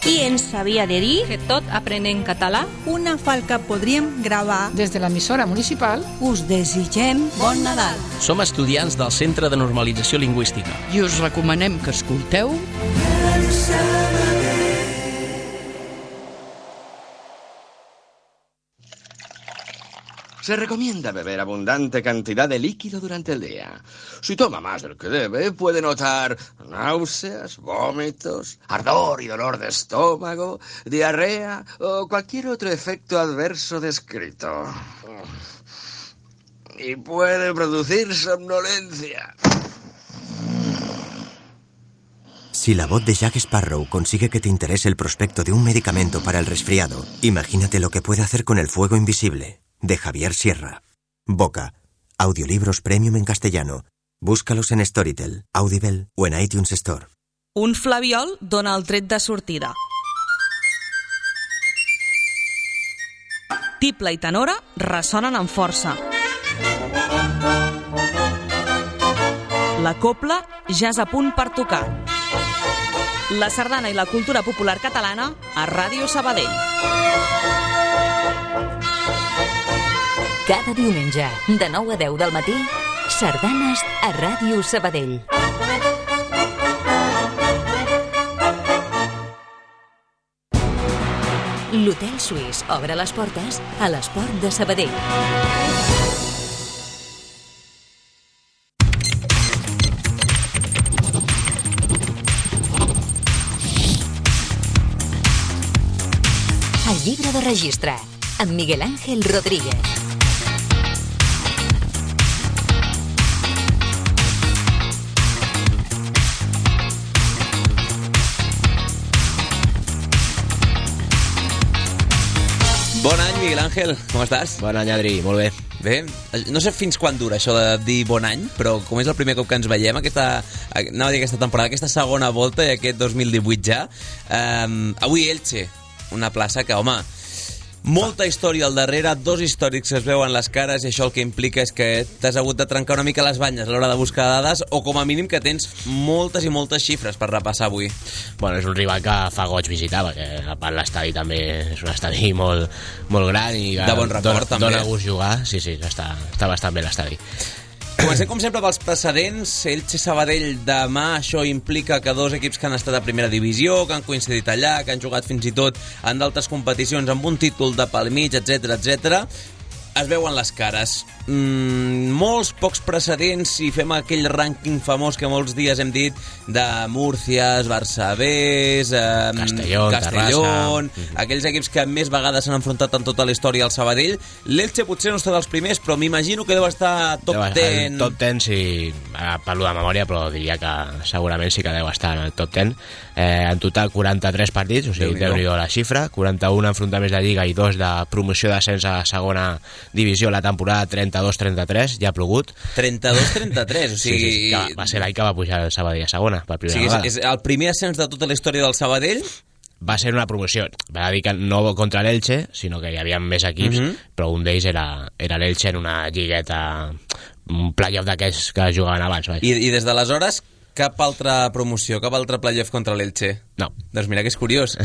Qui ens sabia de dir que tot aprenem català? Una falca podríem gravar. Des de l'emissora municipal us desitgem bon Nadal. Som estudiants del Centre de Normalització Lingüística. I us recomanem que escolteu Se recomienda beber abundante cantidad de líquido durante el día. Si toma más del que debe, puede notar náuseas, vómitos, ardor y dolor de estómago, diarrea o cualquier otro efecto adverso descrito. Y puede producir somnolencia. Si la voz de Jack Sparrow consigue que te interese el prospecto de un medicamento para el resfriado, imagínate lo que puede hacer con El fuego invisible, de Javier Sierra. Boca. Audiolibros premium en castellano. Búscalos en Storytel, Audible o en iTunes Store. Un flabiol dona el tret de sortida. Tiple i tenora ressonen amb força. La copla ja és a punt per tocar. La sardana i la cultura popular catalana a Ràdio Sabadell. Cada diumenge, de 9 a 10 del matí, sardanes a Ràdio Sabadell. L'Hotel Suís obre les portes a l'Esport de Sabadell. El llibre de registre, amb Miguel Ángel Rodríguez. Bon any, Miguel Ángel, com estàs? Bon any, Adri, molt bé. Bé, no sé fins quan dura això de dir bon any, però com és el primer cop que ens veiem aquesta temporada, aquesta segona volta i aquest 2018 ja, avui Elche, una plaça que, home, molta història al darrere, dos històrics que es veuen les cares i això el que implica és que t'has hagut de trencar una mica les banyes a l'hora de buscar dades o com a mínim que tens moltes i moltes xifres per repassar avui. Bueno, és un rival que fa goig visitar, perquè a part l'estadi també és un estadi molt, molt gran i de bon record, també. Dona gust jugar, sí, està bastant bé l'estadi. Comencem, com sempre, pels precedents. Elche-Sabadell demà, això implica que dos equips que han estat a primera divisió, que han coincidit allà, que han jugat fins i tot en d'altres competicions amb un títol de pel mig, etc. Es veuen les cares. Molts pocs precedents i fem aquell rànquing famós que molts dies hem dit de Múrcies, Barça B, Castellón, aquells equips que més vegades s'han enfrontat en tota la història al Sabadell. L'Elche potser no està dels primers, però m'imagino que deu estar top 10. Top 10, sí, parlo de memòria, però diria que segurament sí que deu estar en el top 10. En total 43 partits, o sigui, Déu-n'hi-do la xifra, 41 enfrontaments de Lliga i 2 de promoció d'ascens a segona divisió la temporada 32-33, ja ha plogut. 32-33, o sigui... Sí, va ser l'any que va pujar el Sabadell a segona, per primera vegada. És el primer ascens de tota la història del Sabadell? Va ser una promoció, va dir que no contra l'Elche, sinó que hi havia més equips, però un d'ells era l'Elche en una lligueta, un playoff d'aquells que jugaven abans. I des d'aleshores... Cap altra promoció, cap altre playoff contra l'Elche? No. Doncs mira que és curiós,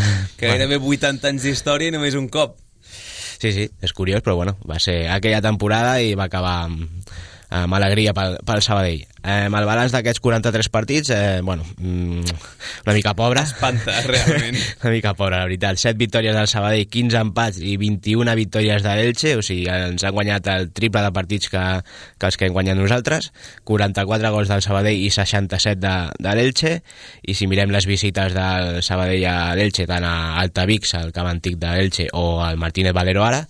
que gairebé 80 anys d'història i només un cop. Sí, és curiós, però bueno, va ser aquella temporada i va acabar amb alegria pel Sabadell. El balanç d'aquests 43 partits, una mica pobre. Espanta, realment. Una mica pobre, la veritat. 7 victòries del Sabadell, 15 empats i 21 victòries de l'Elche, o sigui, ens han guanyat el triple de partits que els que hem guanyat nosaltres, 44 gols del Sabadell i 67 de l'Elche, i si mirem les visites del Sabadell a l'Elche, tant a Altavix, al camp antic de l'Elche, o al Martínez Valero ara,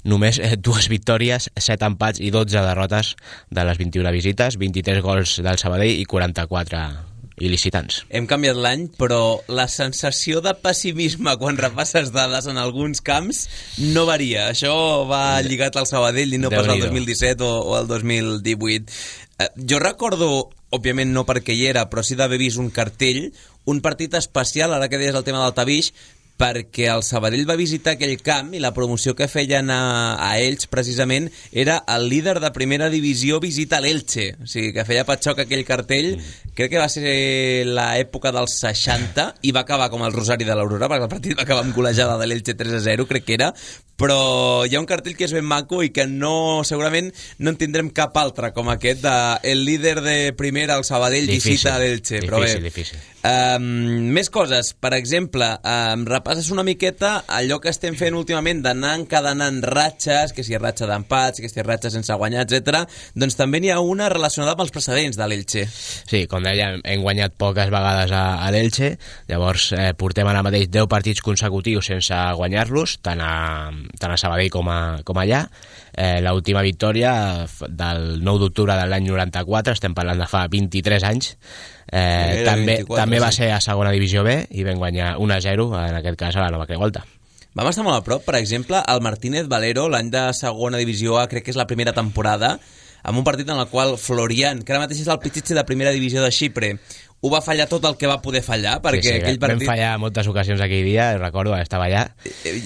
només 2 victòries, 7 empats i 12 derrotes de les 21 visites, 23 gols del Sabadell i 44 il·licitants. Hem canviat l'any, però la sensació de pessimisme quan repasses dades en alguns camps no varia. Això va lligat al Sabadell i no pas al 2017 o al 2018. Jo recordo, òbviament no perquè hi era, però sí d'haver vist un cartell, un partit especial, ara que deies el tema del Tavix, perquè el Sabadell va visitar aquell camp i la promoció que feien a ells precisament era el líder de primera divisió visita l'Elche, o sigui que feia patxoc aquell cartell. Crec que va ser l'època dels 60 i va acabar com el Rosari de l'Aurora, perquè el partit va acabar amb golejada de l'Elche 3-0, crec que era, però hi ha un cartell que és ben maco i que segurament no en tindrem cap altre com aquest de el líder de primera, el Sabadell, visita l'Elche. Difícil. Més coses, per exemple, repasses una miqueta allò que estem fent últimament d'anar encadenant ratxes, que si ratxa d'empats, que si ratxa sense guanyar, etc. Doncs també n'hi ha una relacionada amb els precedents de l'Elche. Sí, com deia, hem guanyat poques vegades a l'Elche, llavors portem ara mateix 10 partits consecutius sense guanyar-los, tant a Sabadell com allà. L'última victòria del 9 d'octubre de l'any 94, estem parlant de fa 23 anys, també va ser a segona divisió B i vam guanyar 1-0, en aquest cas a la Nova Creu Alta. Vam estar molt a prop, per exemple, al Martínez Valero, l'any de segona divisió A, crec que és la primera temporada, amb un partit en el qual Florian, que ara mateix és el pitxitxe de primera divisió de Xipre, ho va fallar tot el que va poder fallar, perquè aquell partit... Vam fallar moltes ocasions aquell dia, recordo, estava allà.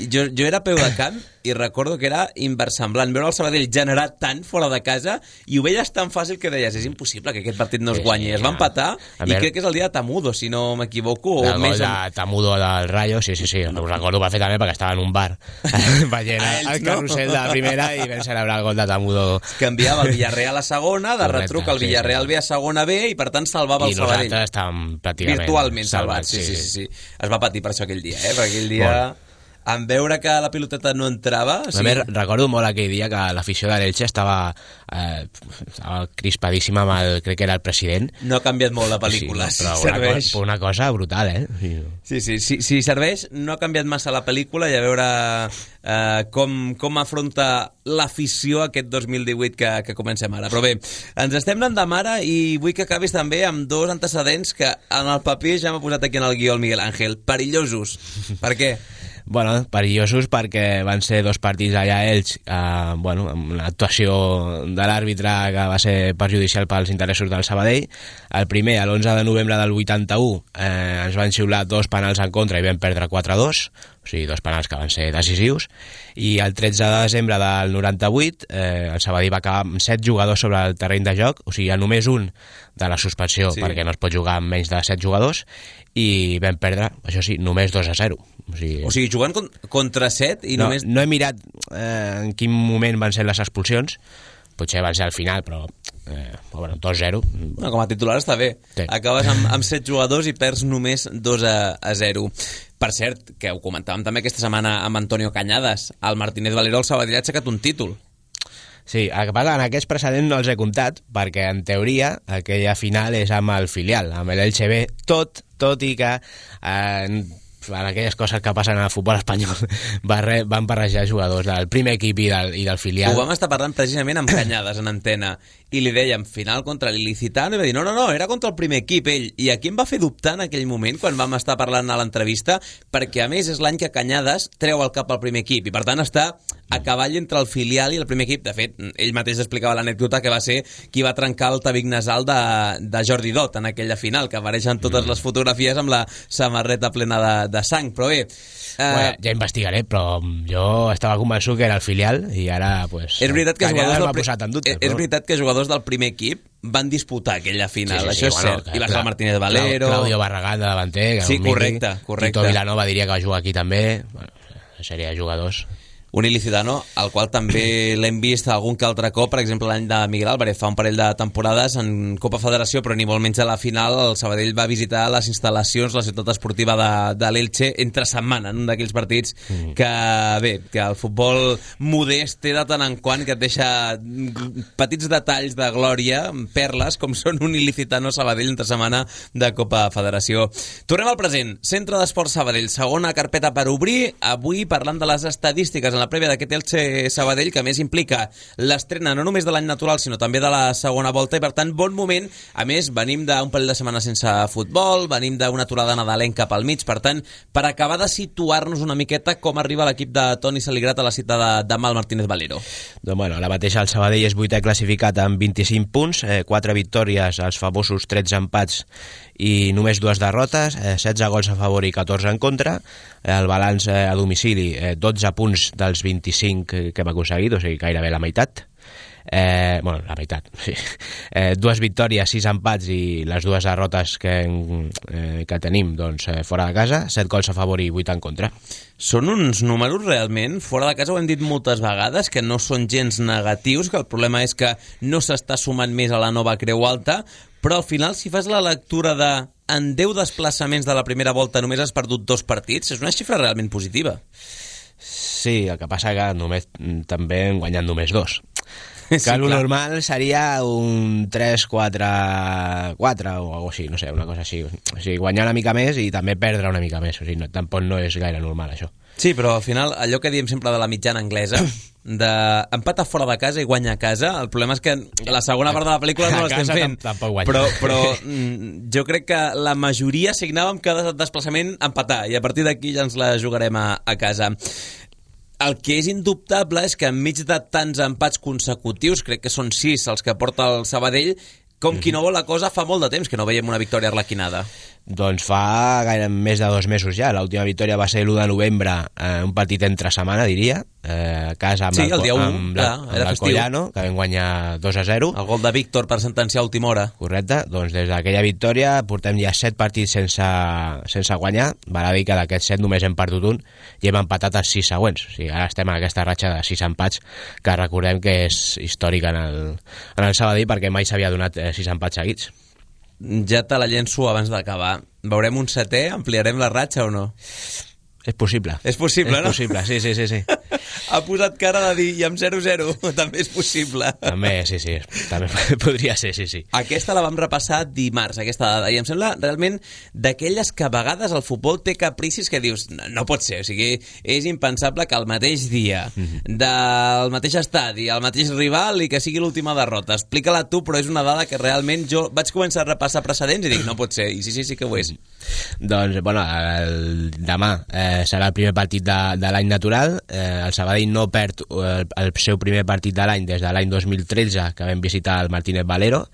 Jo era a peu de camp i recordo que era inversemblant veure el Sabadell generar tant fora de casa i ho veies tan fàcil que deies, és impossible que aquest partit no es guanyi. Es va empatar i crec que és el dia de Tamudo, si no m'equivoco. El gol de Tamudo del Rayo, sí, ho recordo perfectament perquè estava en un bar veient el carrusel de la primera i vam celebrar el gol de Tamudo. Canviava el Villarreal a segona, de retruc el Villarreal B a segona B i per tant salvava el Sabadell. I nosaltres estàvem pràcticament virtualment salvats. Sí. Es va patir per això aquell dia, perquè aquell dia... En veure que la piloteta no entrava... A més, recordo molt aquell dia que l'afició de l'Elche estava crispadíssima amb crec que era el president. No ha canviat molt la pel·lícula, sí, però una cosa brutal, Sí, si serveix, no ha canviat massa la pel·lícula i a veure com afronta l'afició aquest 2018 que comencem ara. Però bé, ens estem anant de mare i vull que acabis també amb dos antecedents que en el paper ja m'ha posat aquí en el guió el Miguel Ángel, perillosos. Per què? Bueno, perillosos perquè van ser 2 partits allà a Elx, amb una actuació de l'àrbitre que va ser perjudicial pels interessos del Sabadell. El primer, l'11 de novembre del 81, ens van xiular 2 penals en contra i vam perdre 4-2, o sigui, 2 penals que van ser decisius, i el 13 de desembre del 98 el Sabadell va acabar amb 7 jugadors sobre el terreny de joc, o sigui, només un de la suspensió, sí, perquè no es pot jugar amb menys de 7 jugadors, i vam perdre, això sí, només 2-0. O sigui, jugant contra 7 i només... No he mirat en quin moment van ser les expulsions, potser van ser al final, però 2-0. No, com a titular està bé. Sí. Acabes amb 7 jugadors i perds només 2-0. Per cert, que ho comentàvem també aquesta setmana amb Antonio Cañadas, el Martínez Valero, el Sabadell ha aixecat un títol. Sí, el que passa, en aquests precedents no els he comptat, perquè en teoria aquella final és amb el filial, amb l'Elche B, tot i que en aquelles coses que passen al futbol espanyol van barrejar jugadors del primer equip i del filial. Ho vam estar parlant precisament amb Cañadas en antena i li dèiem final contra l'Ilicitano i va dir no, era contra el primer equip ell, i aquí em va fer dubtar en aquell moment quan vam estar parlant a l'entrevista, perquè a més és l'any que Cañadas treu el cap al primer equip i per tant està a cavall entre el filial i el primer equip. De fet, ell mateix explicava l'anècdota que va ser qui va trencar el tabic nasal de Jordi Dot en aquella final, que apareixen totes les fotografies amb la samarreta plena de sang, però bé... ja investigaré, però jo estava convençut que era el filial i ara, pues... És veritat que és veritat que jugadors del primer equip van disputar aquella final, sí, això és cert. I va ser el Martínez Valero... Claudio Barragán de davanter... Sí, correcte. Tito Vilanova diria que va jugar aquí també. Bueno, sèrie de jugadors... Un ilicitano al qual també l'hem vist algun que altre cop, per exemple l'any de Miguel Álvarez fa un parell de temporades en Copa Federació, però ni molt menys a la final el Sabadell va visitar les instal·lacions, la ciutat esportiva de l'Elche entre setmana, en un d'aquells partits que que el futbol modest té de tant en quant que et deixa petits detalls de glòria, perles com són un ilicitano Sabadell entre setmana de Copa Federació. Tornem al present, Centre d'Esports Sabadell, segona carpeta per obrir, avui parlant de les estadístiques en la prèvia d'aquest Elche Sabadell, que més implica l'estrena no només de l'any natural sinó també de la segona volta, i per tant bon moment. A més, venim d'un parell de setmanes sense futbol, venim d'una aturada nadalenca pel mig, per tant, per acabar de situar-nos una miqueta com arriba l'equip de Toni Saligrat a la cita de demà al Martínez Valero. Doncs bueno, la mateixa el Sabadell és 8è classificat amb 25 punts, 4 victòries, els famosos 13 empats i només 2 derrotes, 16 gols a favor i 14 en contra. El balanç a domicili, 12 punts dels 25 que hem aconseguit, o sigui, gairebé la meitat. La meitat, sí. 2 victòries, 6 empats i les 2 derrotes que tenim fora de casa, 7 gols a favor i 8 en contra. Són uns números realment, fora de casa ho hem dit moltes vegades, que no són gens negatius, que el problema és que no s'està sumant més a la nova Creu Alta, però al final si fas la lectura de en 10 desplaçaments de la primera volta només has perdut 2 partits, és una xifra realment positiva. Sí, el que passa que també hem guanyat només 2. Que sí, el normal seria un 3-4-4 o alguna així, no sé, una cosa així. O sigui, guanyar una mica més i també perdre una mica més. O sigui, tampoc no és gaire normal, això. Sí, però al final, allò que diem sempre de la mitjana anglesa, d'empatar fora de casa i guanyar a casa, el problema és que la segona part de la pel·lícula no l'estem fent. Però jo crec que la majoria signàvem cada desplaçament empatar, i a partir d'aquí ja ens la jugarem a casa. El que és indubtable és que enmig de tants empats consecutius, crec que són 6 els que porta el Sabadell, com qui no vol la cosa, fa molt de temps que no veiem una victòria arlequinada. Doncs fa gaire més de 2 mesos ja. L'última victòria va ser l'1 de novembre, un partit entre setmana, diria, a casa amb l'Alcoyano, que vam guanyar 2-0. El gol de Víctor per sentenciar a última hora. Correcte. Doncs des d'aquella victòria portem ja 7 partits sense guanyar. Val a dir que d'aquests 7 només hem perdut un i hem empatat els 6 següents. O sigui, ara estem en aquesta ratxa de 6 empats, que recordem que és històrica en el Sabadell, perquè mai s'havia donat 6 empats seguits. Ja te la llenço abans d'acabar. Veurem un 7è? Ampliarem la ratxa o no? És possible. És possible, no? És possible, sí. ha posat cara de dir, i amb 0-0 també és possible. També, sí, també podria ser, sí. Aquesta la vam repassar dimarts, aquesta dada, i em sembla realment d'aquelles que a vegades el futbol té capricis que dius, no pot ser, o sigui, és impensable que el mateix dia, del mateix estadi, el mateix rival i que sigui l'última derrota. Explica-la tu, però és una dada que realment jo vaig començar a repassar precedents i dic, no pot ser, i sí que ho és. Doncs, bueno, demà serà el primer partit de l'any natural. El Sabadell no perd el seu primer partit de l'any des de l'any 2013, que vam visitar el Martínez Valero.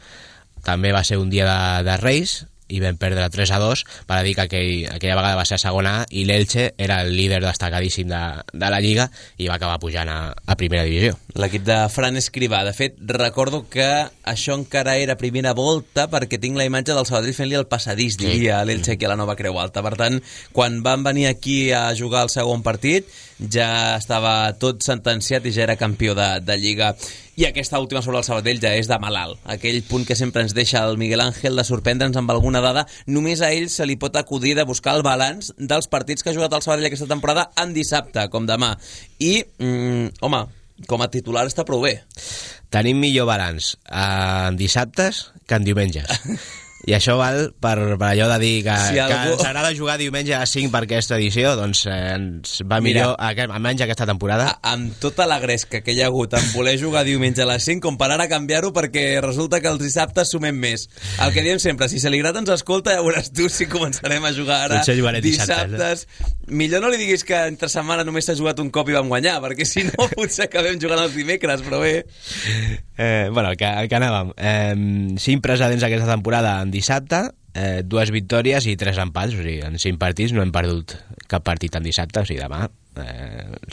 També va ser un dia de Reis i vam perdre 3-2, per dir que aquella vegada va ser a segona A i l'Elche era el líder destacadíssim de la Lliga i va acabar pujant a primera divisió. L'equip de Fran Escrivà. De fet, recordo que això encara era primera volta perquè tinc la imatge del Sabadell fent-li el passadís, diria l'Elche aquí a la Nova Creu Alta. Per tant, quan van venir aquí a jugar el segon partit ja estava tot sentenciat i ja era campió de Lliga. I aquesta última sobre el Sabadell ja és de malalt. Aquell punt que sempre ens deixa el Miguel Ángel de sorprendre'ns amb alguna dada. Només a ell se li pot acudir de buscar el balanç dels partits que ha jugat el Sabadell aquesta temporada en dissabte, com demà. I, home, com a titular està prou bé. Tenim millor balanç en dissabtes que en diumenges. I això val per allò de dir que ens agrada jugar diumenge a 5 per aquesta edició, doncs ens va millor, almenys aquesta temporada. Amb tota la gresca que hi ha hagut en voler jugar diumenge a les 5, com per ara canviar-ho perquè resulta que els dissabtes sumem més. El que diem sempre, si Saligrat ens escolta, ja veuràs tu si començarem a jugar ara dissabtes. Millor no li diguis que entre setmana només s'ha jugat un cop i vam guanyar, perquè si no potser acabem jugant els dimecres, però bé. Bueno, el que anàvem. 5 precedents aquesta temporada en dissabte, 2 victòries i 3 empats, o sigui, en 5 partits no hem perdut cap partit en dissabte, o sigui, demà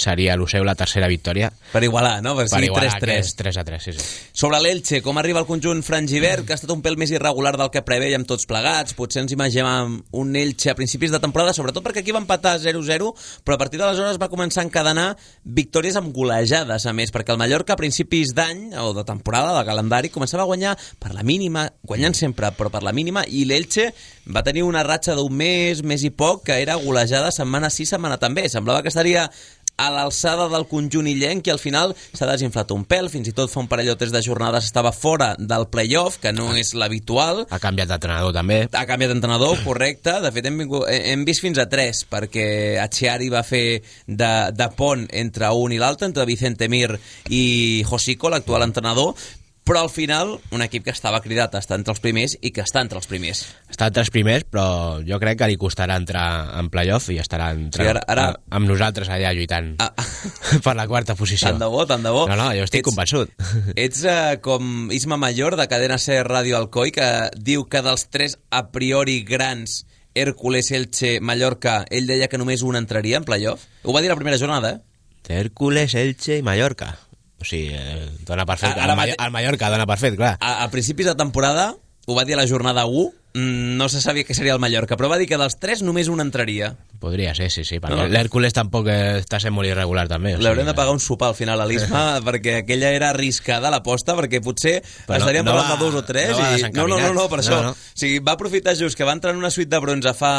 seria l'Useu la tercera victòria. Per igualar, no? Per igualar, 3-3, sí. Sobre l'Elche, com arriba el conjunt frangivert, que ha estat un pèl més irregular del que prevèiem tots plegats. Potser ens imaginem un Elche a principis de temporada, sobretot perquè aquí va empatar 0-0, però a partir d'aleshores va començar a encadenar victòries amb golejades, a més, perquè el Mallorca a principis d'any, o de temporada, de calendari, començava a guanyar per la mínima, guanyant sempre, però per la mínima, i l'Elche va tenir una ratxa d'un mes i poc, que era golejada setmana sí, setmana també. Semblava que estaria a l'alçada del conjunt illenc i al final s'ha desinflat un pèl, fins i tot fa un parell o 3 de jornades estava fora del play-off, que no és l'habitual. Ha canviat d'entrenador també. Ha canviat d'entrenador, correcte. De fet hem vist fins a 3, perquè Achiari va fer de pont entre un i l'altre, entre Vicente Mir i Josico, l'actual entrenador. Però al final, un equip que estava cridat a estar entre els primers i que està entre els primers. Està entre els primers, però jo crec que li costarà entrar en playoff i estarà amb nosaltres allà lluitant per la quarta posició. Tant de bo, tant de bo. No, jo estic convençut. Ets com Isma Mayor, de Cadena Ser Ràdio Alcoi, que diu que dels 3 a priori grans, Hércules, Elche, Mallorca, ell deia que només un entraria en playoff. Ho va dir la primera jornada, Hércules, Elche i Mallorca. O sigui, dona per fet. El Mallorca dona per fet, clar. A principis de temporada, ho va dir a la jornada 1, no se sabia què seria el Mallorca, però va dir que dels 3 només un entraria. Podria ser, sí, perquè no. L'Hèrcules tampoc està sent molt irregular també. L'haurem de pagar un sopar al final a l'Isma, perquè aquella era arriscada l'aposta, perquè potser estaríem parlant de 2 o 3 no, per això. O sigui, va aprofitar just que va entrar en una suite de bronze fa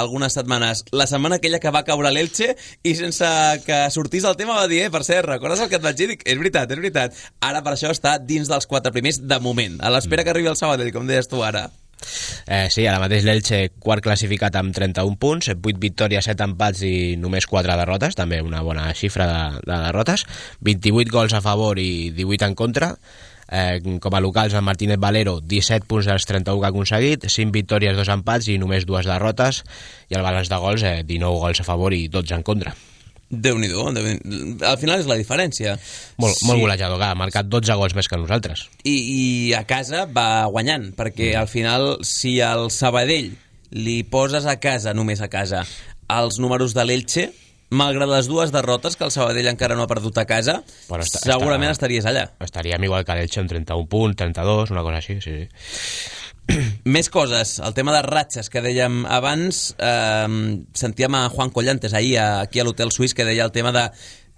algunes setmanes, la setmana aquella que va caure l'Elche, i sense que sortís el tema va dir, per cert, recordes el que et vaig dir? Dic, és veritat. Ara per això està dins dels 4 primers de moment, a l'espera que arribi el Sabadell, com deies tu ara. Sí, ara mateix l'Elche quart classificat amb 31 punts, 8 victòries, 7 empats i només 4 derrotes, també una bona xifra de derrotes, 28 gols a favor i 18 en contra. Com a locals el Martínez Valero 17 punts dels 31 que ha aconseguit, 5 victòries, 2 empats i només 2 derrotes, i el balanç de gols 19 gols a favor i 12 en contra. Déu-n'hi-do, al final és la diferència. Molt golejador, ha marcat 12 gols més que nosaltres. I a casa va guanyant, perquè al final, si al Sabadell li poses a casa, només a casa, els números de l'Elche, malgrat les 2 derrotes que el Sabadell encara no ha perdut a casa, segurament estaries allà. Estaríem igual que l'Elche amb 31 punts, 32, una cosa així, sí. Més coses, el tema de ratxes que dèiem abans, sentíem a Juan Collantes ahir aquí a l'Hotel Suís, que deia el tema de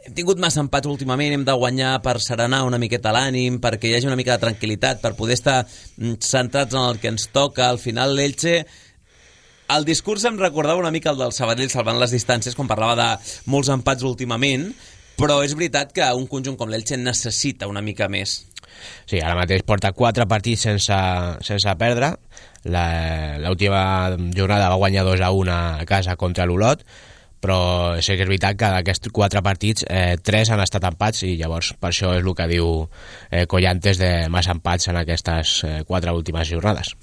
hem tingut massa empats últimament, hem de guanyar per serenar una miqueta l'ànim, perquè hi hagi una mica de tranquil·litat, per poder estar centrats en el que ens toca. Al final l'Elche, el discurs em recordava una mica el del Sabadell salvant les distàncies quan parlava de molts empats últimament, però és veritat que un conjunt com l'Elche necessita una mica més. Sí, ara mateix porta 4 partits sense perdre. L'última jornada va guanyar 2-1 a casa contra l'Olot, però sí que és veritat que d'aquests 4 partits 3 han estat empats, i llavors per això és el que diu Collantes de massa empats en aquestes 4 últimes jornades.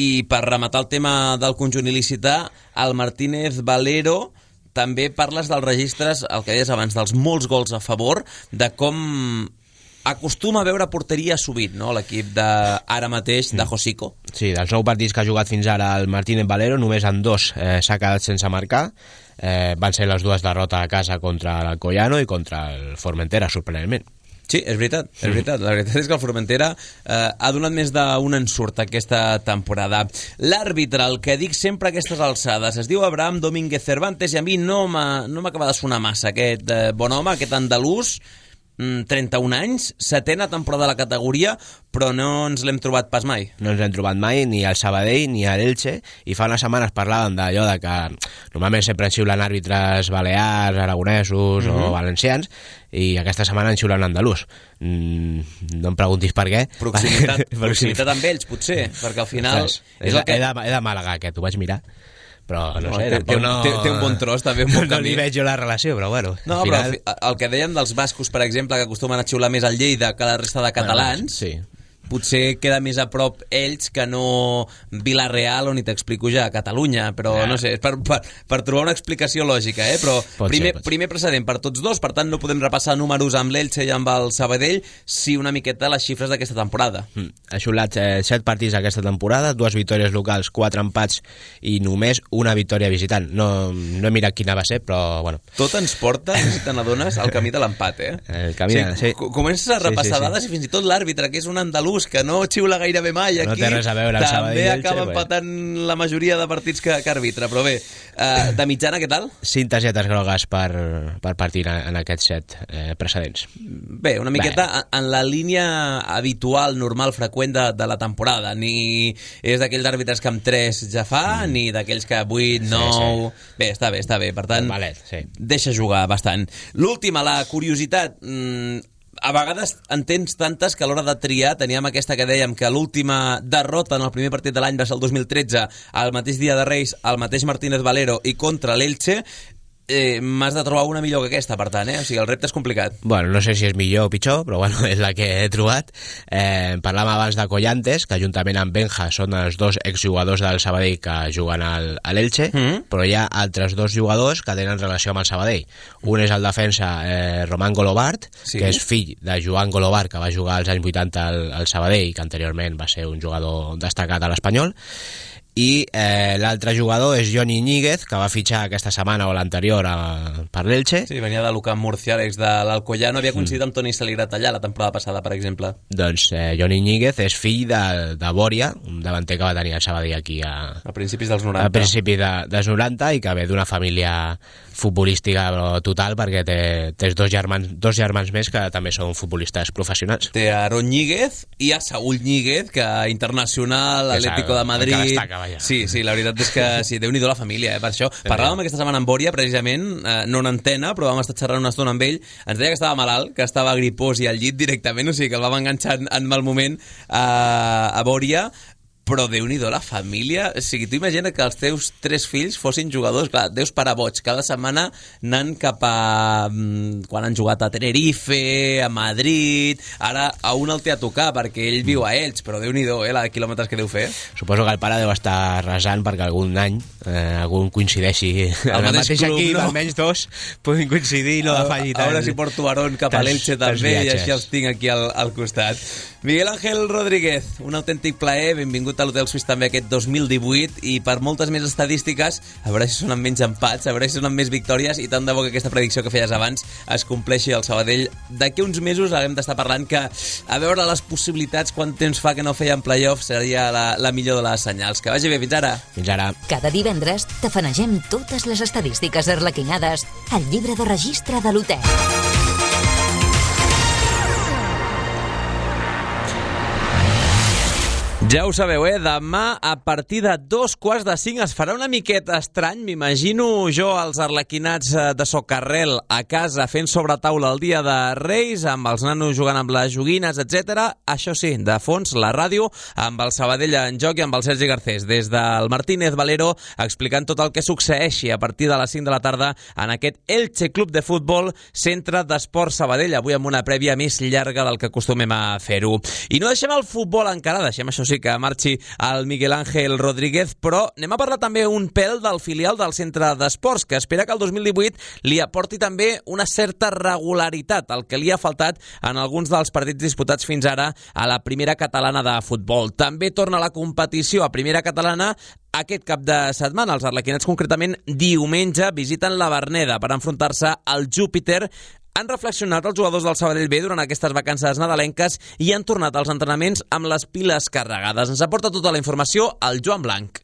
I per rematar el tema del conjunt il·licità, el Martínez Valero, també parles dels registres, el que deies abans, dels molts gols a favor, de com acostuma a veure porteria sovint, no?, l'equip d'ara mateix de Josico. Sí, dels 9 partits que ha jugat fins ara el Martínez Valero, només en 2 s'ha quedat sense marcar. Van ser les 2 derrotes a casa contra l'Alcoyano i contra el Formentera, sorprenentment. Sí, és veritat, és veritat. La veritat és que el Formentera ha donat més d'un ensurt aquesta temporada. L'àrbitre, el que dic sempre a aquestes alçades, es diu Abraham Domínguez Cervantes, i a mi no m'acaba de sonar massa aquest bon home, aquest andalús, 31 anys, 7a temporada de la categoria, però no ens l'hem trobat pas mai. No ens l'hem trobat mai, ni al Sabadell ni a l'Elche, i fa unes setmanes parlàvem d'allò de que normalment sempre en xiulen àrbitres balears, aragonesos o valencians, i aquesta setmana en xiulen andalús. No em preguntis per què. Proximitat amb ells, potser, perquè al final... És de Màlaga, aquest, ho vaig mirar. Però no sé, té un bon tros, també un bon camí. No li veig jo la relació, però bueno. No, però el que dèiem dels bascos, per exemple, que acostumen a xiular més al Lleida que la resta de catalans, potser queda més a prop ells que no Vila-real, on hi t'explico ja, Catalunya, però no sé, per trobar una explicació lògica, però primer precedent per tots dos, per tant no podem repassar números amb l'Elche i amb el Sabadell, sí una miqueta les xifres d'aquesta temporada. Ha xulat 7 partits aquesta temporada, 2 victòries locals, 4 empats i només una victòria visitant. No he mirat quina va ser, però bueno. Tot ens porta, si te n'adones, al camí de l'empat, El camí sí. Comences a repassar dades i fins i tot l'àrbitre, que és un andalús que no xiula gairebé mai aquí, també acaba empatant la majoria de partits que arbitra, però bé, de mitjana què tal? 5 targetes grogues per partit en aquests 7 precedents. Bé, una miqueta en la línia habitual, normal, freqüent de la temporada, ni és d'aquells àrbitres que amb 3 ja fa, ni d'aquells que 8, 9... Bé, està bé, per tant, deixa jugar bastant. L'última, la curiositat, a vegades en tens tantes que a l'hora de triar teníem aquesta que dèiem que l'última derrota en el primer partit de l'any va ser el 2013, al mateix dia de Reis, al mateix Martínez Valero i contra l'Elche. M'has de trobar una millor que aquesta, per tant, o sigui, el repte és complicat. Bueno, no sé si és millor o pitjor, però bueno, és la que he trobat. Parlàvem abans de Collantes, que juntament amb Benja són els 2 exjugadors del Sabadell que juguen a l'Elche, però hi ha altres 2 jugadors que tenen relació amb el Sabadell. Un és el defensa Román Golobart, que és fill de Joan Golobart, que va jugar als anys 80 al Sabadell, que anteriorment va ser un jugador destacat a l'Espanyol, i l'altre jugador és Johnny Ñíguez, que va fitxar aquesta setmana o l'anterior per l'Elche. Sí, venia de l'Ucamp Murcia, l'ex de l'Alcoyano, havia coincidit amb Toni Saligrat allà la temporada passada, per exemple. Doncs Johnny Ñíguez és fill de Bòria, un davanter que va tenir el Sabadell aquí a principis dels 90. A principis dels 90, i que ve d'una família futbolística total, perquè té 2 germans més que també són futbolistes professionals. Té Aaron Ñíguez i a Saúl Ñíguez, que internacional, Atlético de Madrid... Sí, la veritat és que sí, Déu-n'hi-do la família, per això. Parlàvem aquesta setmana amb Bòria, precisament, no en antena, però vam estar xerrant una estona amb ell. Ens deia que estava malalt, que estava gripós i al llit directament, o sigui que el vam enganxar en mal moment a Bòria. Però Déu-n'hi-do la família. O sigui, tu imagina que els teus 3 fills fossin jugadors, clar, deus parar boig, cada setmana anant cap a... quan han jugat a Tenerife, a Madrid, ara a un el té a tocar perquè ell viu a Elx, però Déu-n'hi-do, la de quilòmetres que deu fer. Suposo que el pare deu estar resant perquè algun any algú coincideixi el mateix club, equip, no? Almenys 2 puguin coincidir i no afegir tant. Ara si porto Aarón cap a l'Elche també, i així els tinc aquí al costat. Miguel Ángel Rodríguez, un autèntic plaer, benvingut a l'Hotel Suís també aquest 2018, i per moltes més estadístiques, a veure si són amb menys empats, a veure si són amb més victòries, i tant de bo que aquesta predicció que feies abans es compleixi al Sabadell. D'aquí uns mesos haguem d'estar parlant que, a veure les possibilitats, quant temps fa que no feien playoff, seria la millor de les senyals. Que vagi bé, fins ara. Fins ara. Cada divendres tafanegem totes les estadístiques arlequinades al llibre de registre de l'hotel. Ja ho sabeu, demà a partir de 4:45 es farà una miqueta estrany. M'imagino jo els arlequinats de Socarrel a casa fent sobre taula el dia de Reis, amb els nanos jugant amb les joguines, etc. Això sí, de fons, la ràdio, amb el Sabadell en joc i amb el Sergi Garcés, des del Martínez Valero, explicant tot el que succeeixi a partir de les 5 de la tarda en aquest Elche Club de Futbol, centre d'esport Sabadell, avui amb una prèvia més llarga del que acostumem a fer-ho. I no deixem el futbol encara, deixem això sí que marxi el Miguel Ángel Rodríguez, però anem a parlar també un pèl del filial del centre d'esports, que espera que el 2018 li aporti també una certa regularitat, el que li ha faltat en alguns dels partits disputats fins ara a la primera catalana de futbol. També torna la competició a primera catalana aquest cap de setmana. Els arlequinats concretament diumenge visiten la Verneda per enfrontar-se al Júpiter. Han reflexionat els jugadors del Sabadell B durant aquestes vacances nadalenques i han tornat als entrenaments amb les piles carregades. Ens aporta tota la informació el Joan Blanc.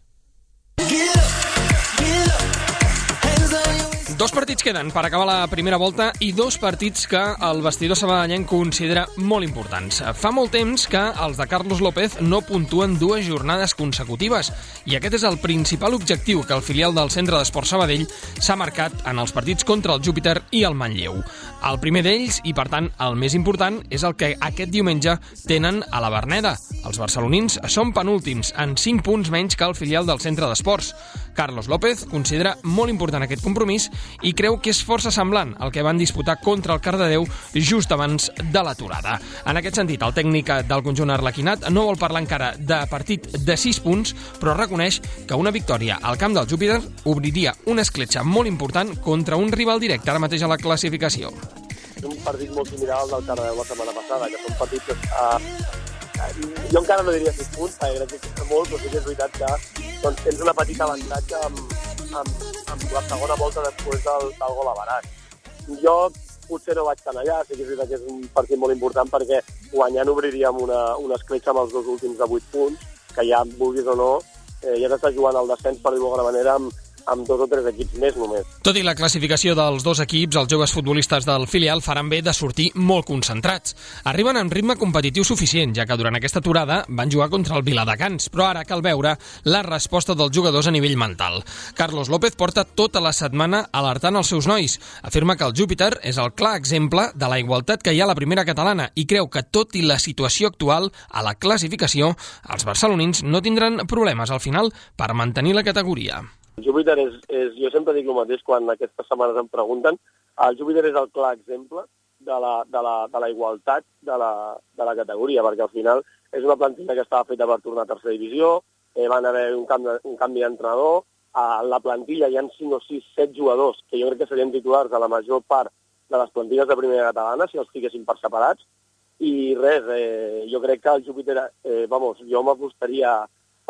Dos partits queden per acabar la primera volta i dos partits que el vestidor sabadellenc considera molt importants. Fa molt temps que els de Carlos López no puntuen dues jornades consecutives i aquest és el principal objectiu que el filial del Centre d'Esport Sabadell s'ha marcat en els partits contra el Júpiter i el Manlleu. El primer d'ells, i per tant el més important, és el que aquest diumenge tenen a la Verneda. Els barcelonins són penúltims, en 5 punts menys que el filial del Centre d'Esports. Carlos López considera molt important aquest compromís i creu que és força semblant al que van disputar contra el Cardedeu just abans de l'aturada. En aquest sentit, el tècnic del conjunt arlequinat no vol parlar encara de partit de 6 punts, però reconeix que una victòria al camp del Júpiter obriria una escletxa molt important contra un rival directe ara mateix a la classificació. És un partit molt similar al del Cardedeu la setmana passada, que són partits jo encara no diria 6 punts, perquè crec que és molt, però sí que és veritat que tens una petita avantatge amb la segona volta després del gol avarat. Jo potser no vaig tan allà, sí que és veritat que és un partit molt important perquè guanyant obriríem una escletxa amb els dos últims de 8 punts, que ja vulguis o no, ja s'està jugant el descens, per dir-ho d'alguna manera, amb 2 o 3 equips més només. Tot i la classificació dels dos equips, els joves futbolistes del filial faran bé de sortir molt concentrats. Arriben amb ritme competitiu suficient, ja que durant aquesta aturada van jugar contra el Viladecans, però ara cal veure la resposta dels jugadors a nivell mental. Carlos López porta tota la setmana alertant els seus nois. Afirma que el Júpiter és el clar exemple de la igualtat que hi ha a la primera catalana i creu que, tot i la situació actual a la classificació, els barcelonins no tindran problemes al final per mantenir la categoria. El Júpiter jo sempre dic el mateix quan aquestes setmanes em pregunten, el Júpiter és el clar exemple de la igualtat de la categoria, perquè al final és una plantilla que estava feta per tornar a tercera divisió, van haver un canvi d'entrenador, a la plantilla hi ha 5 o 6, 7 jugadors que jo crec que serien titulars de la major part de les plantilles de primera catalana, si els fiquessin per separats, i res, jo crec que el Júpiter, jo m'apostaria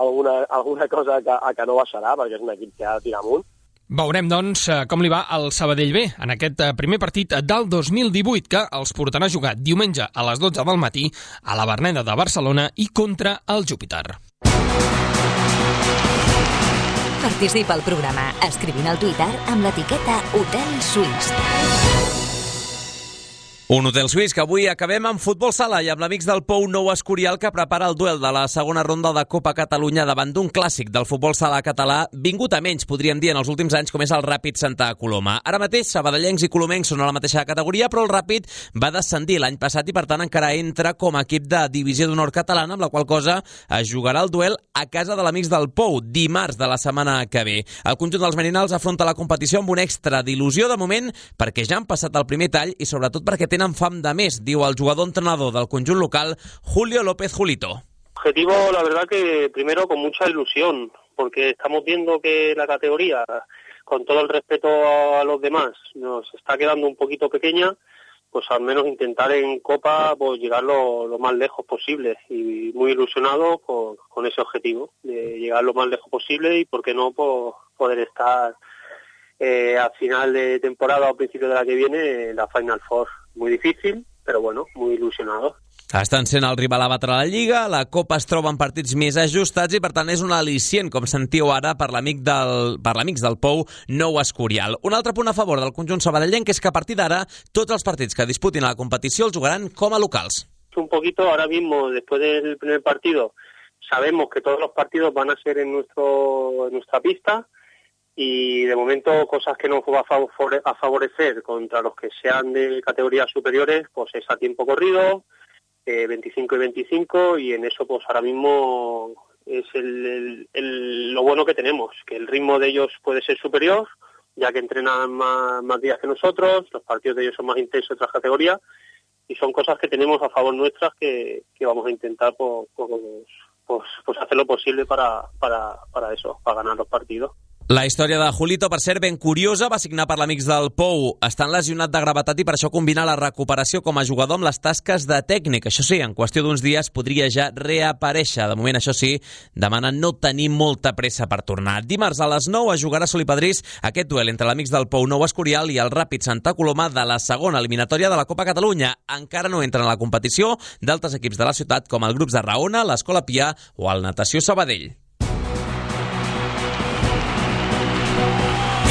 alguna cosa que no baixarà, perquè és un equip que ha de tirar amunt. Veurem, doncs, com li va al Sabadell B en aquest primer partit del 2018, que els portarà a jugar diumenge a les 12 del matí a la Verneda de Barcelona i contra el Júpiter. Participa al programa escrivint al Twitter amb l'etiqueta Hotel Suís. Un hotel suís que avui acabem amb futbol sala i amb l'Amics del Pou Nou Escorial, que prepara el duel de la segona ronda de Copa Catalunya davant d'un clàssic del futbol sala català vingut a menys, podríem dir, en els últims anys, com és el Ràpid Santa Coloma. Ara mateix, sabadellencs i colomencs són a la mateixa categoria, però el Ràpid va descendir l'any passat i, per tant, encara entra com a equip de divisió d'honor catalana, amb la qual cosa es jugarà el duel a casa de l'Amics del Pou, dimarts de la setmana que ve. El conjunt dels Merinals afronta la competició amb un extra d'il·lusió de moment, perquè ja han passat el primer tall i sobretot perquè tenen fam de més, diu el jugador-entrenador del conjunt local, Julio López Julito. Objetivo, la verdad que primero con mucha ilusión, porque estamos viendo que la categoría, con todo el respeto a los demás, nos está quedando un poquito pequeña, pues al menos intentar en Copa pues llegar lo más lejos posible, y muy ilusionado con ese objetivo, de llegar lo más lejos posible y por qué no pues, poder estar a final de temporada o principio de la que viene en la Final Four. Muy difícil, però bueno, muy ilusionado. Estan sent el rival a batre a la Lliga, la Copa es troba en partits més ajustats i per tant és un al·licient, com sentiu ara, per l'Amics del Pou Nou Escorial. Un altre punt a favor del conjunt sabadellenc és que a partir d'ara tots els partits que disputin a la competició els jugaran com a locals. Un poquito ahora mismo, después del primer partido, sabemos que todos los partidos van a ser en nuestra pista, y de momento cosas que nos va a favorecer contra los que sean de categorías superiores, pues es a tiempo corrido, 25 y 25, y en eso pues ahora mismo es lo bueno que tenemos, que el ritmo de ellos puede ser superior, ya que entrenan más días que nosotros, los partidos de ellos son más intensos en otras categorías, y son cosas que tenemos a favor nuestras que vamos a intentar pues hacer lo posible para eso, para ganar los partidos. La història de Julito, per cert, ben curiosa, va signar per l'Amics del Pou. Està lesionat de gravetat i per això combina la recuperació com a jugador amb les tasques de tècnic. Això sí, en qüestió d'uns dies podria ja reaparèixer. De moment, això sí, demana no tenir molta pressa per tornar. Dimarts a les 9 es jugarà a Solipadrís aquest duel entre l'Amics del Pou Nou Escorial i el Ràpid Santa Coloma de la segona eliminatòria de la Copa Catalunya. Encara no entren a la competició d'altres equips de la ciutat com el grups de Raona, l'Escola Pià o el Natació Sabadell.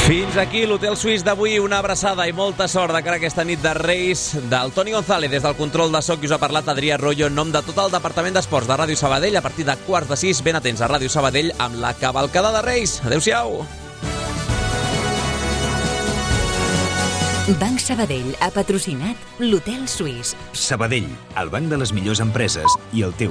Fins aquí l'Hotel Suís d'avui. Una abraçada i molta sort de cara a aquesta nit de Reis. Del Toni González, des del control de so, qui us ha parlat, Adrià Arroyo, en nom de tot el Departament d'Esports de Ràdio Sabadell. A partir de 5:45, ben atents a Ràdio Sabadell amb la cavalcada de Reis. Adéu-siau. Banc Sabadell ha patrocinat l'Hotel Suís. Sabadell, el banc de les millors empreses i el teu.